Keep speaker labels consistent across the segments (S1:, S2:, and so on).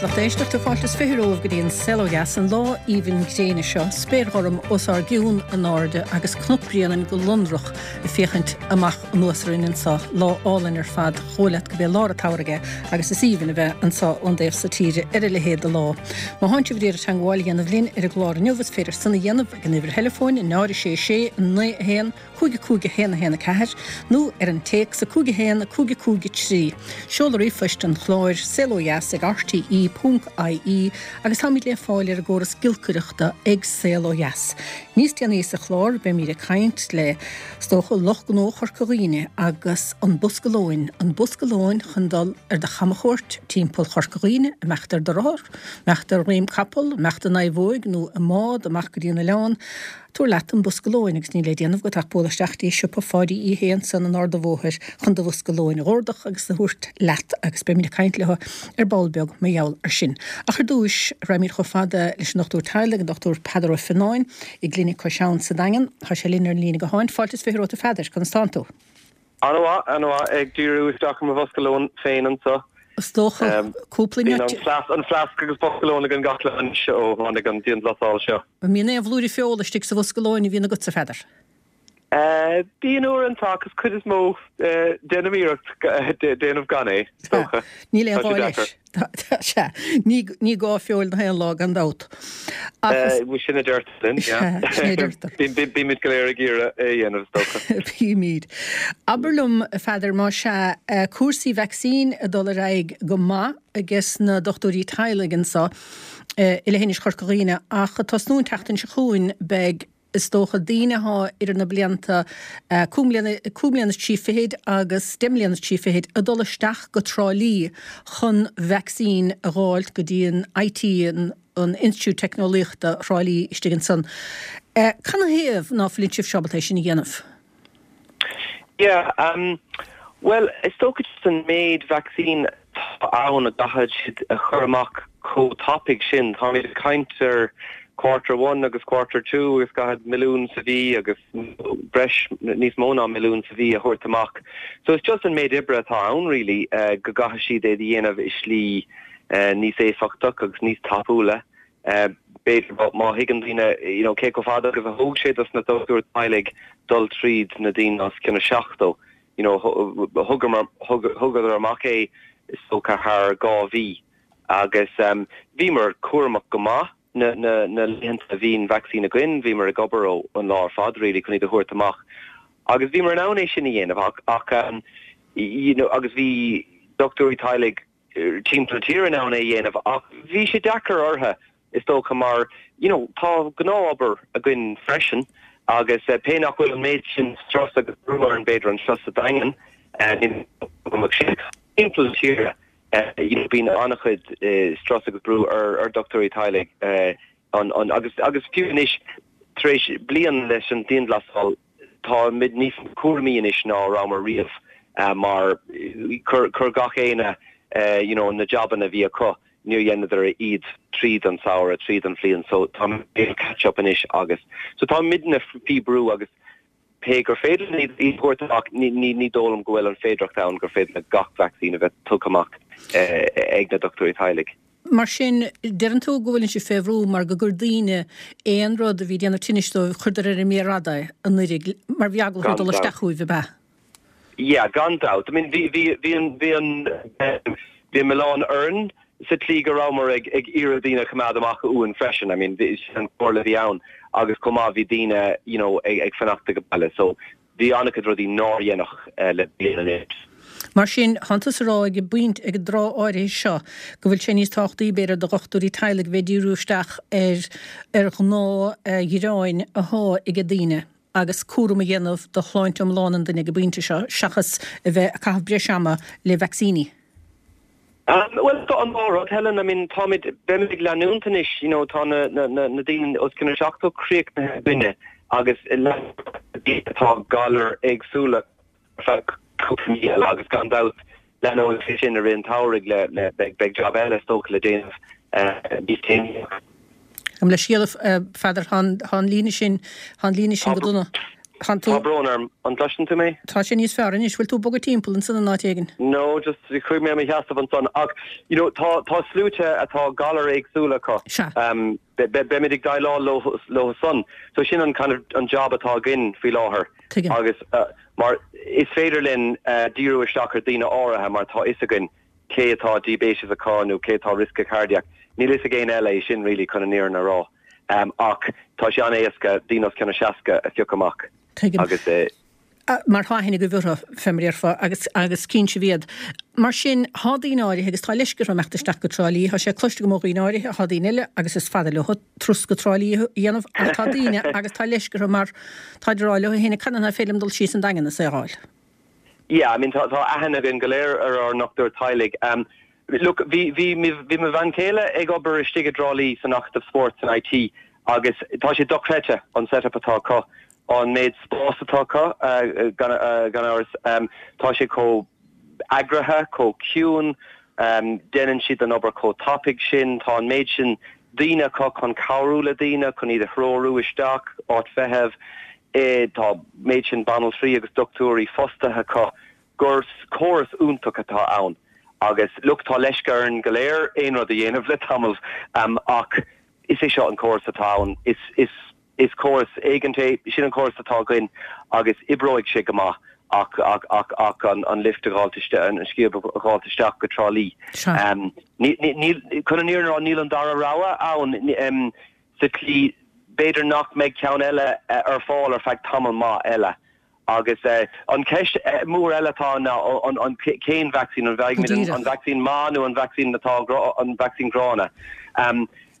S1: Lucht éisteachta, fáilte is 20 romhaibh go dtí an Saol Ó Dheas, an lá aoibhinn gréine seo, spéir ghorm os ár gcionn in airde agus Cnoc Bréanainn go lonrach ag féachaint amach anuas orainn anso. Lá álainn ar fad, chomh leat go b'é lár an tsamhraidh é agus is aoibhinn a bheith anso ón dtaobh so tíre ar a leithéid de lá. Má thánn sibh ag iarraidh teangmháil a dhéanamh linn ar an gclár inniu is féidir san a dhéanamh ag an uimhir theileafóin 0 6 6 9 1 5 5 1 1 4, nó ar an téacs 5 1 5 5 3. Seoladh ríomhphoist an chláir, saolodheas ag rte ponc ie, agus táimid le fáil ar an gcóras giolcaireachta ag Saol Ó Dheas. Níos déanaí sa chlár beimid ag caint le, is dócha, lucht gnó Chorca Dhuibhne agus an bosca lóin, an bosca lóin chun dul ar do chamachuairt timpeall Chorca Dhuibhne, imeacht ar do rothar, imeacht ar dhroim capall, imeacht i naomhóig nó i mbád amach go dtí an oileán. Tabhair leat an bosca lóin agus níl le déanamh agat ach bualadh isteach dtí siopa Pháidí Uí Shé ansan an Ard a' Bhóthair chun do bhosca lóin a dh'ordach agus a thabhairt leat agus beimid ag caint leo ar ball beag mar gheall ar sin. Ach ar dtúis, raghaimid chomh fada leis an ndochtúir teaghlaigh, an Dr Peadar Ó Fionnáin, i gClinic Cois Abhann sa Daingean. Tá sé linn ar an líne gutháin. Fáilte is 20 romhat a Pheadair, conas tánn tú?
S2: An-mhaith, an-mhaith. Ag díriú isteach ar mo bhosca lóin féin anso.
S1: Is dócha cúpla
S2: Bíonn an fleasc agus bosca lóin againn gach lá anois ó tháinig an dianghlasáil seo.
S1: An mbíonn aon bhlúire feola istigh sa bhosca lóin a bhíonn agatsa, a Pheadair?
S2: Bíonn uaireanta ach is cuid is mó déanaim iarracht déanamh gan é, is dócha.
S1: Níl aon ghá leis. Sea, ní gá feoil na haon lá gan dabht.
S2: Ach is. Sin a deirtear linn, yeah. Sin a deirtear. Bímid go léir ag iarraidh é a dhéanamh, is dócha.
S1: Bímid. Abair liom, a Pheadair, más ea, cúrsaí vacsaín ag dul ar aghaidh go maith ages na dochtúirí teaghlaigh anso i leithinis Chorca Dhuibhne ach ag tosnú an tseachtain seo chugainn beidh Is dócha daoine athá idir na blianta 5 mbliana, 5 mbliana is 3 fichid agus 10 mbliana is 3 fichid ag dul isteach go Trá Lí chun vacsaín a dh'fháilt go dtí an IT, an Institiúid Teicneolaíochta Thrá Lí istigh ansan. Canathaobh ná fuileann sibhse ábalta é sin a dhéanamh?
S2: Yeah, um, bhuel, is dócha just an méid vacsaín atá ann a gcaithfidh siad a chur amach chomh tapaidh sin. Táimid ag caint ar quarter one agus quarter two agus caithfidh milliún sa mhí agus breis, níos mó ná milliún sa mhí a thabhairt amach. So it's just an méid oibre atá ann really go gcaithfidh siad é a dhéanamh i slí níos éifeachtach agus níos tapúla. B'fhéidir má thuigeann daoine you know cé chomh fada agus a thóg sé dos na dochtúirí teaghlaigh dul tríd na daoine os cionn 70, you know thugamar, thugadar amach é is dócha thar 2 mhí agus bhíomar cúramach go maith na na na laethanta a bhí an vacsaín againn, bhíomar ag obair ó an lá ar fad really chun iad a thabhairt amach agus bhíomar in ann é sin a dhéanamh ach ach you know agus bhí dochtúirí teaghlaigh timpeall na tíre in ann é a dhéanamh ach bhí sé deacair orthu is dócha mar you know tá gnáth-obair againn freisin agus pé nach bhfuil an méid sin strus agus brú orainn b'fhéidir anseo sa Daingean sin timpeall na tíre you know bíonn an-chuid strus agus brú ar ar dochtúirí teaghlaigh an an agus agus fiú anois tar éis bliain leis an dianghlasáil Táimid níos cúramaí anois ná a rabhamar riamh mar chuir gach éinne you know na jabanna a bhí acu, níor dheineadar iad tríd an samhradh, tríd an bhliain so táimid ag catch up anois agus so táimidne faoi brú agus pé gur féidir linn iad a thabhairt amach ní ní dóigh liom go bhfuil an féidireacht ann gur féidir le gach vacsaín a bheith tugtha amach ag na dochtúirí teaghlaigh.
S1: Mar sin, deireann tú go bhfuileann sibh fé bhrú mar go gcuir daoine aon rud a bhí ag déanamh tinnis dóibh, chuireadar ar an méar fhada é anuiridh mar bhí eagla orthu
S2: dul
S1: isteach chugaibh, ab ea?
S2: Yeah, gan dabht. I mean, bhí, bhí, bhí an, bhí an, bhí an milleán orainn sa tslí go rabhamar ag, ag iarraidh daoine a choimeád amach uainn freisin. I mean, bhí, sin an chomhairle a bhí ann agus chomh maith bhí daoine, you know, ag, ag fanacht ag baile. So, Bhí an-chuid rudaí nár deineadh le bliain anuas.
S1: Mar sin, thánn tusa ag rá ag an bpointe, ag an dtráth áirithe seo, go bhfuil sé níos tábhachtaí, b'fhéidir, do dhochtúirí teaghlaigh bheith ag díriú isteach ar ar ghnáthghearáin athá ag daoine agus cúram a dhéanamh do shláinte iomlán an duine ag an bpointe seo, seachas a bheith ag caitheamh breis ama le vacsaíní.
S2: Bhuel, tá an dá rud, Helen. I mean, táimid, beimid ag leanúint anois, you know, tá na, na, na, na daoine os cionn 70 críochnaithe againne agus leanfaidh atá galair éagsúla ar feadh cúpla mí eile agus gan dabht leanóidh sé sin i rith an tsamhraidh le, le, beidh, beidh jab eile is dócha le déanamh níos déanaí.
S1: Gabh mo leithscéal, a Pheadair, tá an, tá an líne sin, tá an líne sin go dona.
S2: Tá brón orm, an gcloiseann tú mé?
S1: Tá sé níos fearr anois, bhfuil tú ag bogadh timpeall ansan in áit éigin?
S2: No, just chuaigh mé i mo sheasamh ansan ach you know tá tá sluaite atá galair éagsúla acu.
S1: Sea.
S2: Um, beimid ag déileáil leo leo san. So sin an kind of an job atá againn faoi láthair.
S1: Tuigim.
S2: Agus uh, mar is féidir linn uh, díriú isteach ar daoine áirithe mar tá fhios againn cé atá diaibéiteas acu nó cé atá riosca cardiac. Níl fhios ag éinne eile é sin really chun an fhírinne a rá. Ach tá sé an-éasca daoine os cionn a 60 a phiocadh amach
S1: Tuigim.
S2: agus eh.
S1: Mar tá aithne agaibh orthu, fé mar a déarfá, agus agus cíonn sibh iad. Mar sin, thá daoine áirithe agus tá leisce orthu imeacht isteach go Trá Lí, thá sé cloiste agam ó dhaoine áirithe, thá daoine eile agus is fada leo turas go Trá Lí a dhéanamh ach tá daoine agus tá leisce orthu mar táid ag rá leo féin conas nach féidir liom dul síos an Daingean is é a fháil.
S2: Yeah, I mean tá tá aithne againn go léir ar ár ndochtúir teaghlaigh. Look, bhí bhí bhí mo bhean chéile ag obair istigh i dTrá Lí san Acadamh Spóirt san IT agus tá sé dochreidte an setup atá acu, an méid spás atá acu gan gan amhras. Tá sé chomh eagraithe, chomh ciúin, déanann siad an obair chomh tapaidh sin, tá an méid sin daoine acu chun cabhrú le daoine, chun iad a threorú isteach, áit feithimh. Tá méid sin banaltraí agus dochtúirí fostaithe acu gur córas iontach atá ann agus look tá leisce orainn go léir aon rud a dhéanamh le tamall ach is é seo an córas atá ann. Is is is córas éigint é, sin an córas atá againn agus oibreoidh sé go maith ach ach ach ach an an lift a dh'fháilt isteach, an scíob a dh'fháilt isteach go Trá Lí. Ní ní níl chun an fhírinne a rá níl an dara rogha ann. sa tslí, b'fhéidir nach mbeidh ceann eile ar fáil ar feadh tamall maith eile. Agus an cheist mhór eile atá ann ná an cén vacsaín, an bhfaighimid an vacsaín maith nó an vacsaín atá an vacsaín gránna.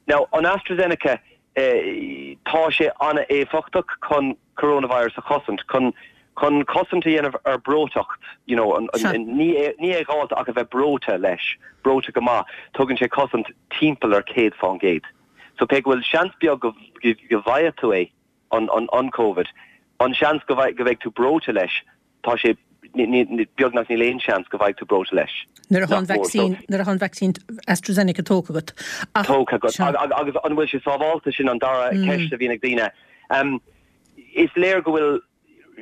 S2: Now, an AstraZeneca, tá sé an-éifeachtach chun coronavirus a chosaint, chun chun cosaint a dhéanamh ar breoiteacht, you know, ní é a dh'fháilt ach a bheith breoite leis, breoite go maith, tugann sé cosaint timpeall ar 100%. So pé go bhfuil seans beag go bhfaighidh tú é, an Covid, an seans go mbeidh tú breoite leis, tá sé beagnach níl aon seans go bhfaighidh tú breoite leis.
S1: Nuair atá an vacsaín, nuair atá an vacsaín AstraZeneca tógtha agat.
S2: Tógtha agat. Agus an bhfuil sé sábháilte, sin an dara ceist a bhíonn ag daoine. Is léir go bhfuil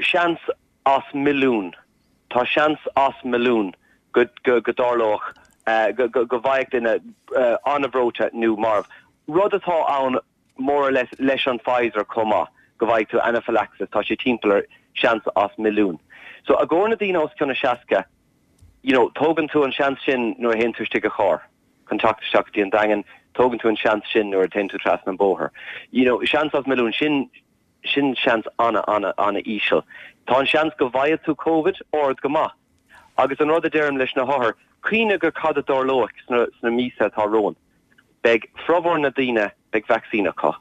S2: seans as milliún, tá seans as milliún go dtarlódh go bhfaigheadh duine an-bhreoite nó marbh. Rud atá ann more or less leis an Pfizer chomh maith, go bhfaighidh tú anaphylaxis, tá sé timpeall ar seans as milliún. So i gcomhair na daoine os cionn a 60, you know, tógann tú an seans sin nuair a théann tú istigh i charr chun teacht isteach go dtí an Daingean, tógann tú an seans sin nuair a théann tú trasna an bóthar. You know, seans as milliún, sin Sin seans ana-ana-ana-íseal. Tá an seans go bhfaighidh tú Covid ard go maith. Agus an rud a deirim leis na hothair, cuimhnigh ar cad a dtarlóidh sna sna míosa atá romhainn. Beidh formhór na daoine, beidh vacsaín acu.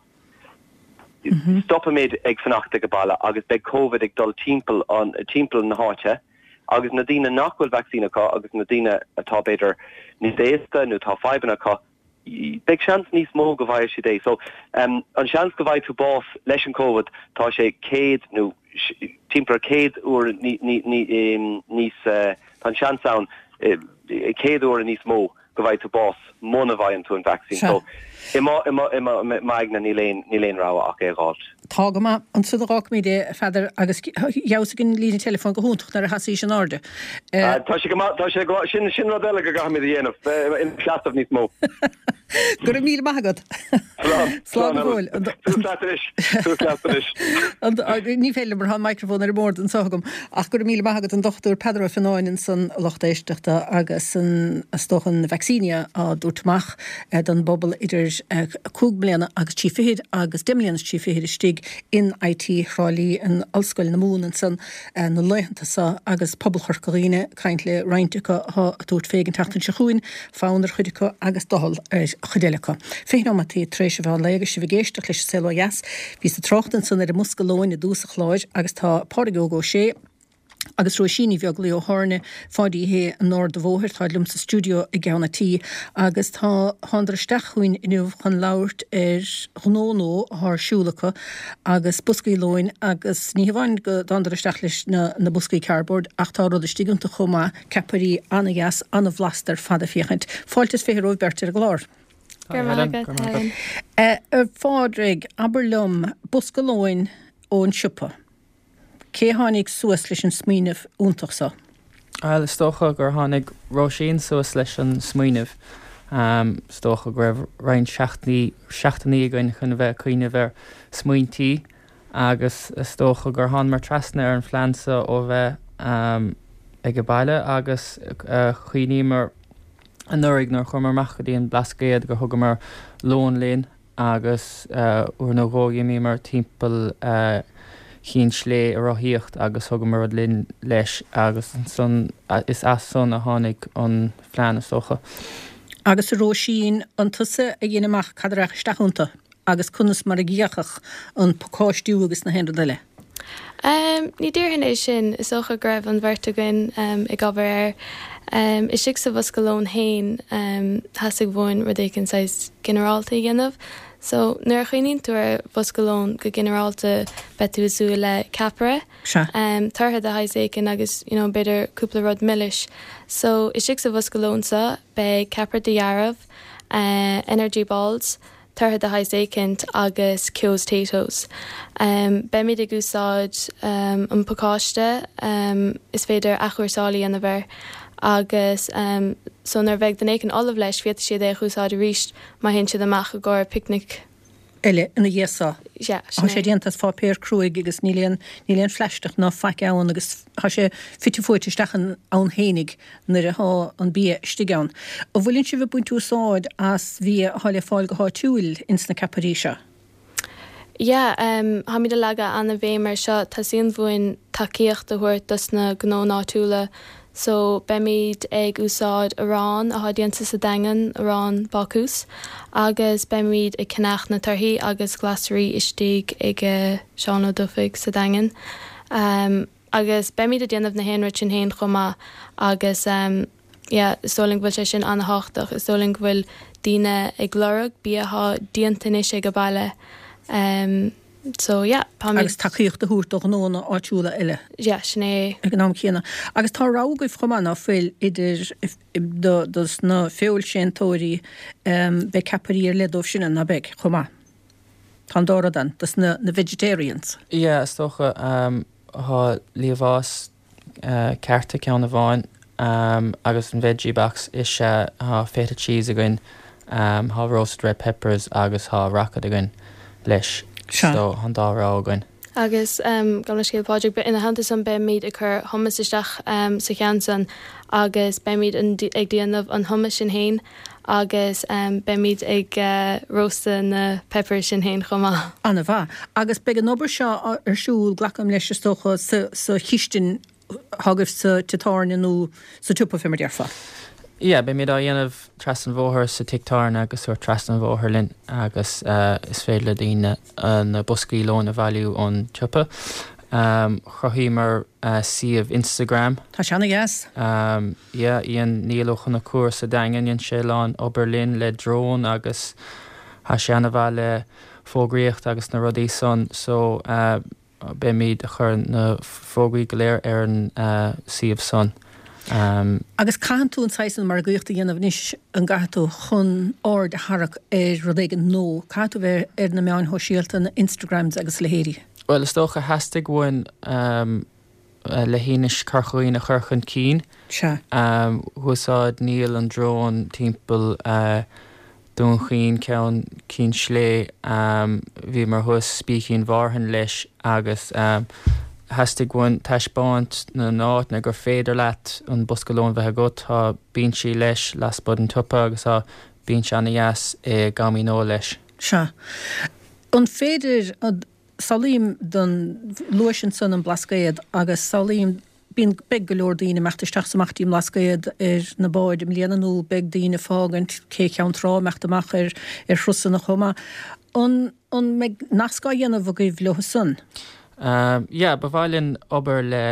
S2: Stopfaimid ag fanacht ag baile agus beidh Covid ag dul timpeall an timpeall na háite agus na daoine nach bhfuil vacsaín acu agus na daoine atá b'fhéidir níos aosta nó tá fadhbanna acu, beidh seans níos mó go bhfaighidh siad é. So, an seans go bhfaighidh tú bás leis an Covid, tá sé 100 nó timpeall ar 100 uair níos, tá an seans ann 100 uair níos mó go bhfaighidh tú bás muna bhfaigheann tú an vacsaín. So, i m'aigne níl aon, níl aon rogha ach é a dh'fháilt.
S1: Tá go maith. Ansan a dh'fhágfaimid é, a Pheadair, agus d'fheabhsaigh an líne teileafóin go hiontach nuair a sheasaís in airde.
S2: Tá sé go maith, tá sé go maith. Sin, sin rud eile go gcaithfimid a dhéanamh, bheith ina seasamh níos mó.
S1: Go raibh míle maith agat.
S2: Slán.
S1: Slán go fóill.
S2: Suas leat anois. Suas leat anois.
S1: Ní féidir liom mar tá an microphone ar an mbord anseo agam. Ach go raibh míle maith agat an Dr Peadar Ó Fionnáin ansan a lucht éisteachta agus an, is dócha an vacsaíní á dtabhairt amach don bpobal idir 5 mbliana agus 3 fichid agus 10 mbliana is 3 fichid istigh in IT Thrá Lí in Ollscoil na Mumhan ansan na laethanta seo agus pobal Chorca Dhuibhne, caint le roinnt acu atá ag tabhairt fé an tseachtain seo chugainn, fonn ar chuid acu agus doicheall ar chuid eile acu. 20 nóimeataí tar éis an mheán lae agus sibh ag éisteacht leis an Saol Ó Dheas. Bhíos ag trácht ansan ar an mbosca lóin i dtús an chláir agus tá Pádraig Óg Ó Sé, agus Róisín Ní Bheaglaoí ó Tháirne Pháidí Shé an Aird Mhóir. Táid liom sa stiúideo i gceann a' tí agus tá thánadar isteach chugainn inniu chun labhairt ar ghnó nua athá ar siúl acu agus boscaí lóin agus ní hamháin go dtánadar isteach leis na na boscaí cardboard ach tá rud istigh iontu chomh maith, ceapairí ana-dheas, ana-bhlasta ar fad ag féachaint. Fáilte is 20 romhaibh beirt ar an gclár.
S3: Go raibh maith agat, Helen.
S1: A Phádraig, abair liom, bosca lóin ón siopa. Cé a tháinig suas leis an smaoineamh iontach so?
S4: Bhuel, is dócha gur tháinig Róisín suas leis an smaoineamh. Is dócha go raibh roinnt seachtainí, seachtainí againn chun a bheith ag cuimhneamh ar smaointí agus is dócha gur thánamar trasna ar an phlean so ó bheith ag an baile agus chuimhníomar anuraidh nuair a chuamar amach go dtí an Blascaod gur thugamar lón linn agus uair nó dhó dh'imíomar timpeall Chinn tSlé ag rothaíocht agus thugamar rud linn leis agus ansan is as san a tháinig an phlean is dócha.
S1: Agus a Róisín, an tusa a dhein amach cad a rachadh isteach iontu agus conas mar a d'fhéachfadh an pacáistiú agus na haon rud eile?
S3: Ní déarfainn é sin. Is dócha go raibh an bheirt againn ag obair air. Istigh sa bhosca lóin féin, theastaigh uainn rud éicint saghas ginearálta a dhéanamh. So, nuair a chuimhníonn tú ar bhosca lóin go ginearálta, beidh tú ag súil le ceapaire, tortha de shaghas éicint agus, you know, b'fhéidir cúpla rud milis. So, istigh sa bhosca lóin seo, beidh ceapaire dhearbh, energy balls, tortha de shaghas éicint agus Keogh's Taytos. Beimid ag úsáid an pacáiste, is féidir athchúrsáil a dhéanamh air agus so nuair a bheidh duine éicint ullamh leis féadfaidh siad é a úsáid arís má théann siad amach i gcomhair picnic.
S1: eile ina dhiaidh so.
S3: Sea,
S1: sin é. Tá sé déanta as pháipéar cruaidh agus níl aon, níl aon phlaisteach ná faic ann agus tá sé fite fuaite isteach ann fhéinig nuair athá an bia istigh ann. An bhfuileann sibh ag baint úsáid as bhia athá le fáil go háitiúil ins na ceapairí seo?
S3: Yeah, táimid ag leagadh an-bhéim ar seo, teastaíonn uainn tacaíocht a thabhairt dos na gnónna áitiúla So, beimid ag úsáid arán atá déanta sa Daingean, arán bácús, agus beimid ag ceannach na torthaí agus glasraí istigh ag Seán Ó Dufaigh sa Daingean. Agus beimid ag déanamh na haon rud sin féin chomh maith agus yeah, is dóigh linn go bhfuil sé sin an-thábhachtach. Is dóigh linn go bhfuil daoine ag lorg bia atá déanta anois ag baile. So yeah,
S1: táimid. Agus tacaíocht a thabhairt do ghnónna áitiúla eile.
S3: Yeah, sin é.
S1: Ag an am céanna. Agus tá rogha agaibh chomh maith, ná fuil, idir do dos na feoilséantóirí, beidh ceapairí ar leith dóibh sin ann, ná beidh, chomh maith? Tá an dá rud ann, dos na na vegetarians.
S4: Yeah, is dócha, tá liamhás cearta ceann amháin agus an veggie box is ea tá feta cheese againn, tá roasted red peppers agus tá rocket againn leis so tá an dá rogha againn.
S3: Agus gabh mo leithscéal Pádraig, ina theannta san beimid ag cur hummus isteach sa cheann san agus beimid ag déanamh an hummus sin fhéin agus beimid ag róstadh na peppers sin fhéin chomh maith.
S1: Ana mhaith. Agus beidh an obair seo ar siúl, glacaim leis, is dócha, sa chistin atá agaibh sa tigh tábhairne nó sa tsiopa, fé mar déarfá.
S4: Yeah, beimid á dhéanamh trasna an bhóthair sa tigh tábhairne agus sórt trasna an bhóthair linn agus is féidir le daoine na boscaí lóin a bhailiú ón tsiopa. Chruthaíomar suíomh Instagram.
S1: Tá sé ana dheas.
S4: Yeah, dhein Niall Ó Conchúir sa Daingean, dhein sé a lán obair linn le drón agus tá sé ana-mhaith le fógraíocht agus na rudaí san so beimid a chur na fógraí go léir ar an suíomh san.
S1: Agus caitheann tú an saghas san margaíocht a dhéanamh anois, an gcaithfidh tú, chun aird a tharrac ar rud éigin nó caithfidh tú bheith ar na meáin shóisialta, na Instagrams agus a leithéidí?
S4: Bhuel, is dócha theastaigh uainn Leithinis Chorca Dhuibhne a chur chun cinn.
S1: Sea.
S4: Úsáid Niall an drón timpeall Dún Chaoin, Ceann Cinn Slé. Bhíomar thuas Spícín Mhárthain leis agus theastaigh uainn taispeáint na n-áiteanna gur féidir leat an bosca lóin bheith agat. Tá binsí leis lasmuigh den tsiopa agus tá binse ana-dheas i gCamino leis.
S1: Sea. An féidir Samhlaím don, luais ansan an Blascaod agus samhlaím, bíonn, beidh go leor daoine imeacht isteach is amach dtí an mBlascaod ar na báid i mbliana nó beidh daoine ag fágaint Cé Cheann Trá imeacht amach ar, ar thurasanna chomh maith. An, an mbeidh nasc á dhéanamh agaibh leo san?
S4: Yeah, ba mhaith linn obair le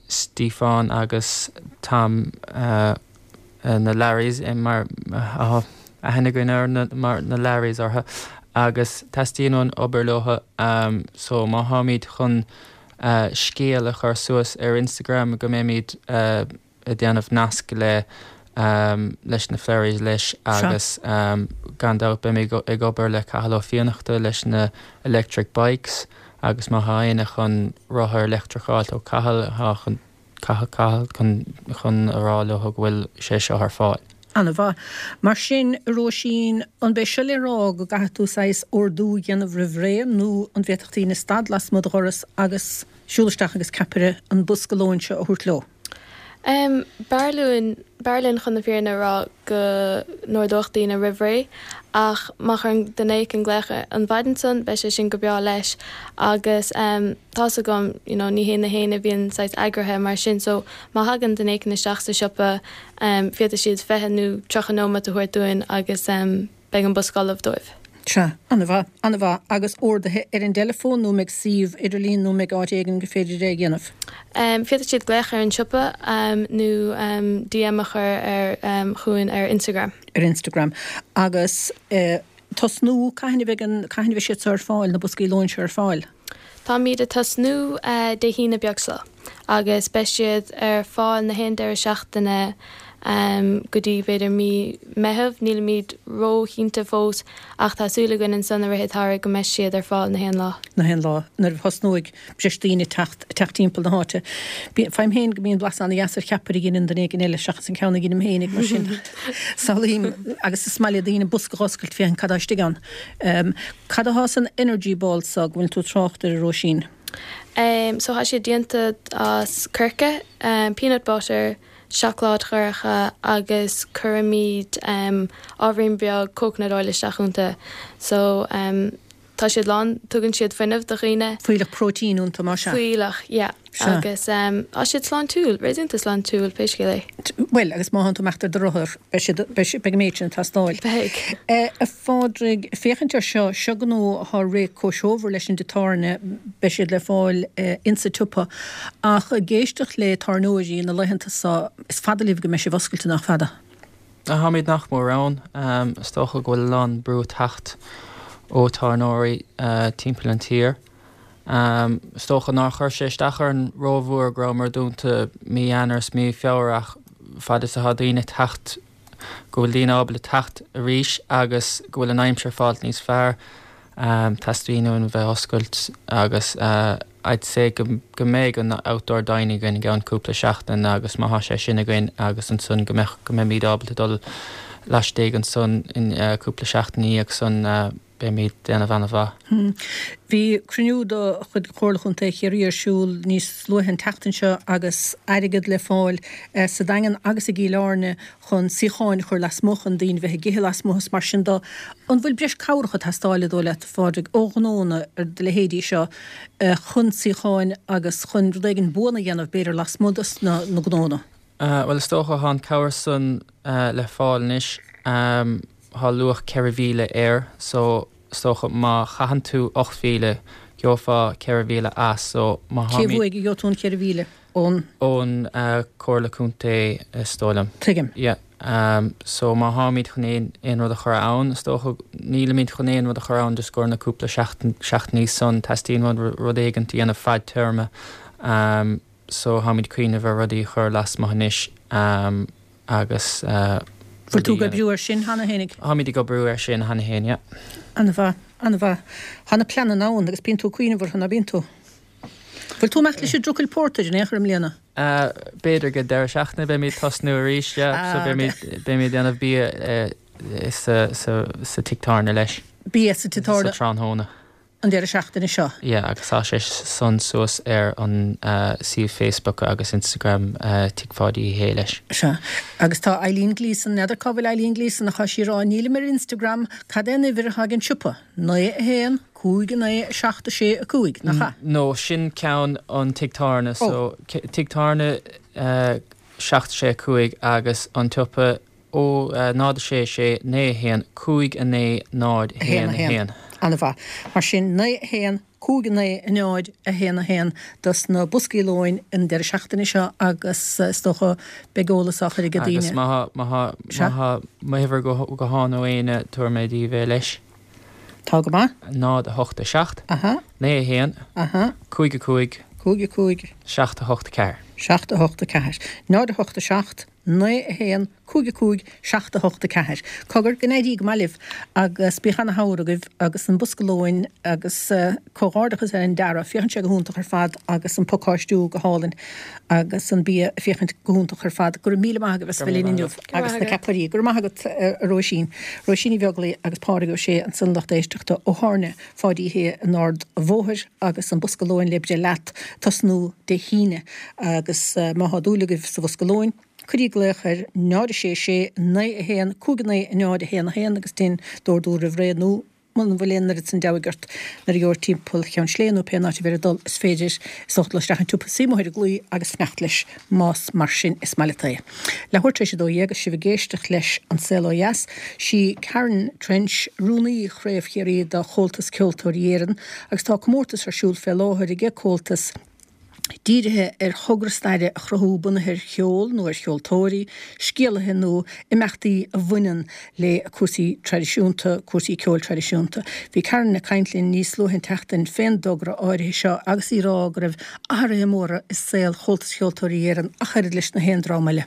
S4: Stiofán agus Tom na Larrys mar tá aithne againn ar na mar na Larrys orthu agus teastaíonn uainn obair leo so má tháimid chun scéal a chur suas ar Instagram go mbeimid ag déanamh nasc le leis na Flerries leis agus gan dabht beimid ag obair le Cathal Ó Fiannachta leis na electric bikes. Agus má thá éinne chun rothar leictreach a fháilt ó Cathal, thá chun Cathal chun a rá leo go bhfuil sé seo ar fáil.
S1: Ana-mhaith. Mar sin, a Róisín, an b'é seo le rá go gcaithfidh tú saghas ordú a dhéanamh roimh ré nó an bhféadfadh daoine stad lasmuigh do dhoras agus siúl isteach agus ceapaire an bosca lóin seo a thabhairt leo?
S3: Em, b'fhearr linn, b'fhearr linn chun na fírinne a rá go n-ordódh daoine roimh ré ach má chuireann duine éicint glaoch an mhaidin san beidh sé sin go breá leis agus em tá's agam you know ní hé na héinne a bhíonn saghas eagraithe mar sin so má thagann duine éicint isteach sa siopa em féadfaidh siad 20 nó 30 nóiméad a thabhairt dúinn agus em beidh an bosca ullamh dóibh.
S1: Sea, an-mhaith, an-mhaith. Agus orduithe ar an dteileafón nó an mbeidh suíomh idirlín nó an mbeidh áit éigin gur féidir é a dhéanamh?
S3: Féadfaidh siad glaoch ar an siopa nó DM a chur ar chugainn ar Instagram.
S1: Ar Instagram. Agus tosnú, cathain a bheidh an, cathain a bheidh siad seo ar fáil, na boscaí lóin seo ar fáil?
S3: Táimid ag tosnú Dé hAoine beag seo agus beidh siad ar fáil na haon deireadh seachtaine go dtí b'fhéidir mí Meitheamh. Nílimid ró-chinnte fós ach tá súil againn ansan i rith an tsamhraidh go mbeidh siad ar fáil na haon lá.
S1: Na haon lá nuair a thosnóidh breis daoine teacht teacht timpeall na háite. Faighim féin go mbíonn blas an-dheas ar cheapaire a dheineann duine éigin eile seachas an ceann a dheinim féinig mar sin samhlaím agus is maith le daoine bosca a dh'oscailt féachaint cad tá istigh ann. Cad athá san energy ball so go bhfuil tú ag trácht air a Róisín?
S3: Em so thá siad déanta as coirce, peanut butter, seacláid dhorcha agus cuirimid em ábhairín beag coconut oil isteach iontu. So em tá siad lán, tugann siad fuinneamh do dhaoine.
S1: Fuílleach próitín iontu más
S3: ea? Fuílleach, yeah. Sea. Agus tá siad sláintiúil, réasúnta sláintiúil, pé scéal é.
S1: Bhuel, agus má thánn tú ag imeacht ar do rothar, beidh siad, beidh siad, beidh an méid sin ag teastáil.
S3: Beidh.
S1: A Phádraig, féachaint ar seo, seo gnó atá réidh comhthreomhar leis an dtigh tábhairne, beidh siad le fáil insa tsiopa. Ach ag éisteacht le tábhairneoirí na laethanta seo, is fada libh go mbeidh sibh oscailte, nach fada?
S4: Táimid nach mór ann. Is dócha go bhfuil a lán brú ag teacht ó tábhairneoirí timpeall an tír. Is dócha nár chuir sé isteach orainn rómhór go rabhamar dúnta mí Eanáir is mí Feabhra ach fad is atá daoine ag teacht, go bhfuil daoine ábalta teacht arís agus go bhfuil an aimsir ag fáilt níos fearr, teastaíonn uainn bheith oscailt agus I'd say go go mbeidh an outdoor dining againn i gceann cúpla seachtain agus má thá sé sin againn agus ansan go mbeadh go mbeimid ábalta dul laistigh ansan in cúpla seachtain ina dhiaidh san. Beimid ag déanamh ana-mhaith.
S1: Bhí cruinniú de chuid Chomhairle Chontae Chiarraí ar siúl níos luaithe an tseachtain seo agus airgead le fáil sa Daingean agus i gCill Airne chun suíocháin a chur lasmuigh chun daoine bheith ag ithe lasmuigh is mar sin de. An bhfuil breis cabhrach ag teastáil an dóigh leat, a Phádraig, ó ghnónna ar do leithéidí seo chun suíocháin agus chun rud éigin buan a dhéanamh b'fhéidir lasmuigh dos na gnónna?
S4: Bhuel is dócha thá an cabhair san le fáil anois. Thá luach 4,000 air so is dócha má chaitheann tú 8,000 gheofá 4,000 as so má
S1: Cé tháimid. uaidh a gheobhaidh tú an 4,000?
S4: Ón. Ón Comhairle Contae is dóigh liom.
S1: Tuigim.
S4: Yeah. So má tháimid chun aon aon rud a chur ann is dócha nílimid chun aon rud a chur ann just i gcomhair na cúpla seachtain seachtainí san teastaíonn rud rud éigint a dhéanamh fadtéarma so tháimid ag cuimhneamh ar rudaí a chur lasmuigh anois. agus
S1: Bhfuil tú ag oibriú air sin cheana fhéinig?
S4: Táimid ag oibriú air sin cheana féin, yeah.
S1: An-mhaith, an-mhaith. Tá na pleananna ann agus bíonn tú ag cuimhneamh orthu, ná bíonn tú? Bhfuil tú ag imeacht leis an Trucail Portage in aon chor i mbliana?
S4: B'fhéidir go deireadh seachtaine beimid ag tosnú arís, yeah. So beimid, beimid ag déanamh bia sa, sa, sa tigh tábhairne leis.
S1: Bia sa tigh tábhairne?
S4: Sa tráthnóna.
S1: an deireadh seachtaine seo.
S4: Yeah agus tá sé san suas ar an suíomh Facebook agus Instagram Tigh Pháidí Uí Shé leis.
S1: Sea. Agus tá Eileen Gleeson, n'fheadar cá bhfuil Eileen Gleeson ach tá sí ag rá nílim ar Instagram, cad é an uimhir atá ag an siopa? 9 1 5 9 7 6 5, nach ea?
S4: No, sin ceann an Tigh Tábhairne, so Tigh Tábhairne 7 6 5 agus an tsiopa Ó 0 6 6 9 1 5 9 0 1 1.
S1: Ana-mhaith. Mar sin, 9 1 5 9 0 1 1 dos na boscaí lóin an deireadh seachtaine seo agus is dócha beidh eolas á chur ag daoine.
S4: Agus má tá má tá m'uimhir gutháin ó éinne, tabharfaidh mé daoibh é leis.
S1: Tá go maith.
S4: 0 8 7.
S1: Aha.
S4: 9 1.
S1: Aha.
S4: 5 5.
S1: 5 5.
S4: 7 8 4.
S1: 7 8 4. 0 8 7. 9 1 5 5 7 8 4. Cogar, go n-éirí go maith libh agus bíodh ana-shamhradh agaibh agus an bosca lóin agus comhghairdeachas ar an dearadh, féachann sé go hiontach ar fad agus an pacáistiú go hálainn agus an bia ag féachaint go hiontach ar fad. Go raibh míle maith agaibh as a bheith linn inniu agus na ceapairí. Go raibh maith agat a Róisín. Róisín Ní Bheaglaoi agus Pádraig Ó Sé ansan lucht éisteachta ó Thábhairne Pháidí Uí Shé in Ard a' Bhóthair agus an bosca lóin le breith leat tosnú Dé hAoine agus má thá dúil agaibh sa bhosca lóin, cuirí glaoch ar 0 6 6 9 1 5 9 0 1 1 agus déan d'ordú roimh ré nó muna bhfuil aon oiread san deabhaidh ort nuair a gheobhair timpeall Cheann Sléibhe nó pé áit a bheir ag dul is féidir is dócha dul isteach an tsiopa suí amuigh ar an gclaí agus fanacht leis más mar sin is maith leat é. Leathuair tar éis a 12 agus sibh ag éisteacht leis An Saol Ó Dheas, sí Karen Trench, Rúnaí Chraobh Chiarraí do Chomhaltas Ceoltóirí Éireann agus tá comórtas ar siúl fé láthair ag Comhaltas dírithe ar thogra staire a chruthú bunaithe ar cheol nó ar cheoltóirí, scéalaithe nó imeachtaí a bhaineann le cúrsaí traidisiúnta, cúrsaí ceoil traidisiúnta. Bhí Karen ag caint linn níos luaithe an tseachtain fén dtogra áirithe seo agus í ag rá go raibh athruithe móra i saol Chomhaltas Cheoltóirí Éireann ach oiread leis na haon dream eile.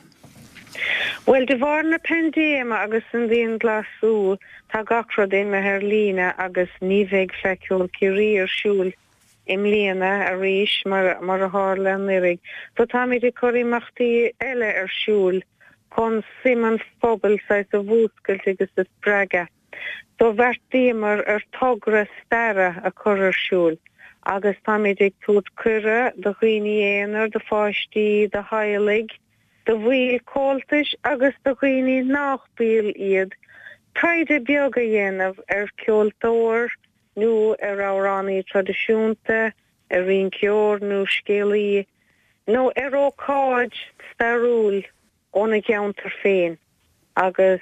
S5: Bhuel, de bharr na paindéime agus an dianghlasáil, tá gach rud imithe ar líne agus ní bheidh Fleadh Cheoil Chiarraí ar siúl i mbliana arís mar a tharla anuraidh. So táimid ag cur imeachtaí eile ar siúl chun suim an phobail saghas a mhúscailt agus a spreagadh. So bheartaíomar ar togra staire a chur ar siúl agus táimid ag tabhairt cuireadh do dhaoine aonair, do pháistí, do theaghlaigh, do bhaill Comhaltais agus do dhaoine nach baill iad taighde beag a dhéanamh ar cheoltóir, nó ar amhránaí traidisiúnta, ar rinceoir nó scéalaí, nó ar ócáid stairiúil óna gceantar féin agus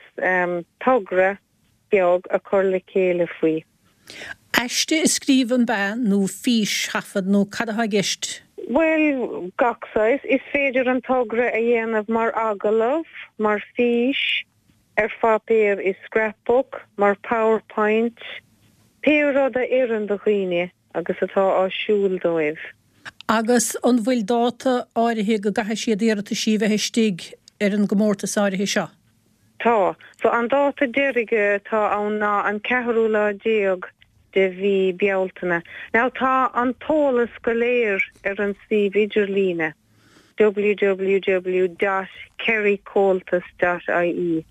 S5: togra beag a chur le chéile faoi.
S1: Aiste a scríobh an b'ea nó físthaifead nó cad atá i gceist?
S5: Bhuel, gach saghas. Is féidir an togra a dhéanamh mar agallamh, mar fhís, ar pháipéar i scrapbook, mar powerpoint, pé rud a oireann do dhaoine agus atá áisiúil dóibh.
S1: Agus an bhfuil dáta áirithe go gcaithfidh siad iarrataisí a bheith istigh ar an gcomórtas áirithe seo?
S5: Tá. So an dáta deiridh atá ann ná an ceathrú lá déag de mhí Bealtaine. Now tá an t-eolas go léir ar an suíomh idirlíne. www.kerrycomhaltas.ie.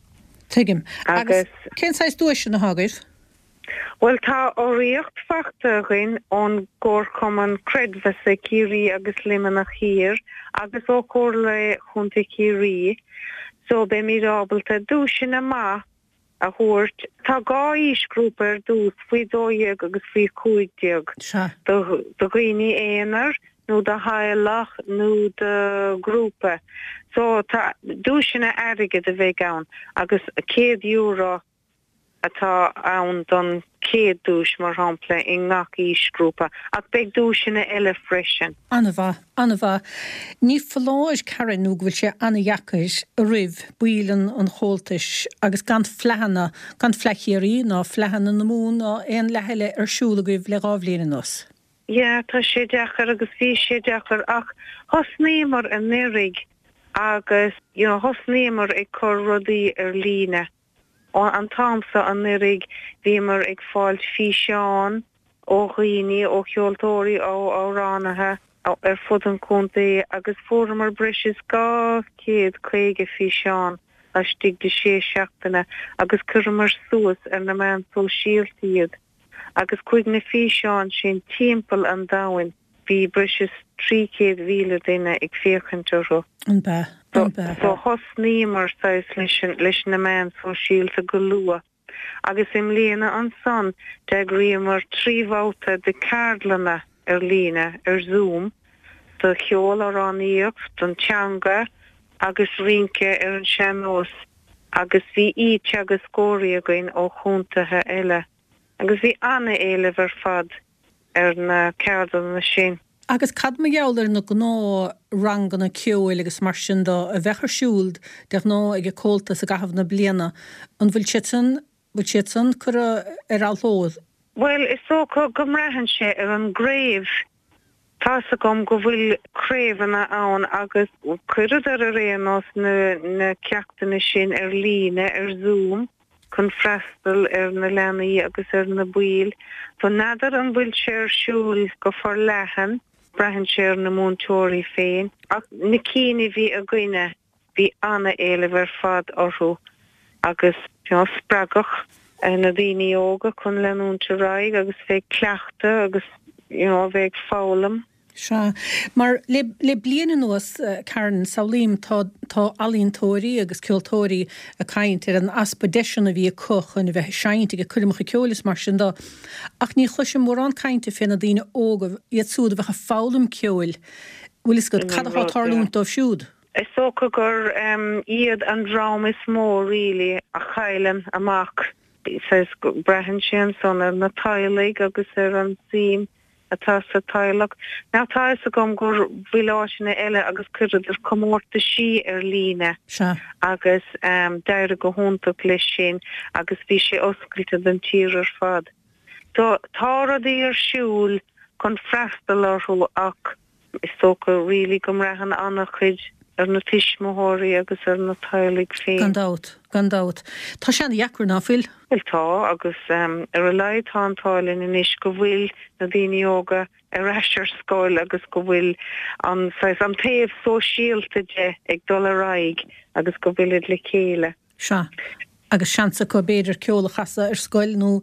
S1: Tuigim. Agus cén saghas duaiseanna atá agaibh?
S5: Bhuel, tá urraíocht faighte againn ón gComharchumann Creidmheasa Ciarraí agus Luimneach Thiar agus ó Chomhairle Chontae Chiarraí, so beimid ábalta duaiseanna maith a thabhairt. Tá 2 aoisghrúpa ar dtús, faoi 12 agus faoi 15, do dhaoine aonair nó do theaghlach nó do ghrúpa. So tá duaiseanna airgid a bheidh ann agus €100 atá ann don chéad duais, mar shampla, i ngach aoisghrúpa. Ach beidh duaiseanna eile freisin.
S1: An-mhaith, an-mhaith. Ní foláir, Karen, nó go bhfuil sé an-dheacair roimh baill an Chomhaltais agus gan fleadhanna, gan Fleadh Chiarraí ná Fleadhanna na Mumhan ná aon fhleadh eile ar siúl agaibh le 2 bhliain anuas.
S5: Yeah, tá sé deacair agus bhí sé deacair ach thosnaíomar anuraidh agus you know thosnaíomar ag cur rudaí ar líne. An t-am so anuraidh bhíomar ag fáilt físeán ó dhaoine, ó cheoltóirí, ó amhránaithe ar fud an chontae agus fuaireamar breis is 250 físeán laistigh de sé seachtaine agus chuireamar suas ar na meáin sóisialta iad agus chuaigh na físeáin sin timpeall an domhain. Bhí breis is 300,000 duine ag féachaint orthu.
S1: An b'ea? An b'ea?
S5: So thosnaíomar saghas leis leis na meáin sóisialta go luath agus i mbliana ansan d'eagraíomar 3 bhabhta de ceardlanna ar líne ar Zoom do cheol, amhránaíocht, don teanga agus rince ar an sean-nós agus bhí aoi-teagascóirí againn ó chontaetha eile agus bhí ana-éileamh ar fad ar na ceardlanna sin.
S1: Agus cad mar gheall ar na gnáth-ranganna ceoil agus mar sin de a bheadh ar siúl de ghnáth ag an Comhaltas i gcaitheamh na bliana, an bhfuil siad san, bhfuil siad san curtha ar athló?
S5: Bhuel, is dócha go mbraitheann sé ar an gcraobh. Tá's agam go bhfuil craobhanna ann agus chuireadar ar aon nós na na ceachtanna sin ar líne ar Zoom chun freastal ar na leanaí agus ar na baill. So n'fheadar an bhfuil sé ar siúl go forleathan, braitheann sé ar na múinteoirí féin. Ach na cinn a bhí againne, Bhí ana-éileamh ar fad orthu agus you know spreagadh na daoine óga chun leanúint ar aghaidh agus bheith ag cleachtadh agus you know bheith ag foghlaim.
S1: Sea. Mar le le bliain anuas, Karen, samhlaím, tá tá ealaíontóirí agus ceoltóirí ag caint ar an easpa deiseanna a bhí acu chun a bheith ag seinnt ag coirmeacha ceoil is mar sin de. Ach ní chloisim mórán cainte fé na daoine óga, iad siúd a bheadh ag foghlaim ceoil, bhfuil fhios agat, cad atá ag tarlúint dóibh siúd?
S5: Is dócha gur iad an dream is mó really a chailleann amach. Saghas, braitheann sé ansan ar na teaghlaigh agus ar an suim atá sa teaghlach. Now tá fhios agam go bhfuil áiteanna eile agus chuireadar comórtaisí ar líne agus d'éirigh go hiontach leis sin agus bhí sé oscailte don tír ar fad. So tá rudaí ar siúl chun freastal orthu ach Is dócha really go mbraitheann an-chuid ar na tuismitheoirí agus ar na teaghlaigh féin.
S1: Gan dabht, gan dabht. Tá sé ana-dheacair, ná fuil?
S5: Bhuel tá, agus ar a laghad tá an t-ádh linn anois go bhfuil na daoine óga ar ais ar scoil agus go bhfuil an saghas, an taobh sóisialta de ag dul ar aghaidh agus go bhfuilid le chéile.
S1: Sea. Agus seans acu, b'fhéidir, ceol a chasadh ar scoil nó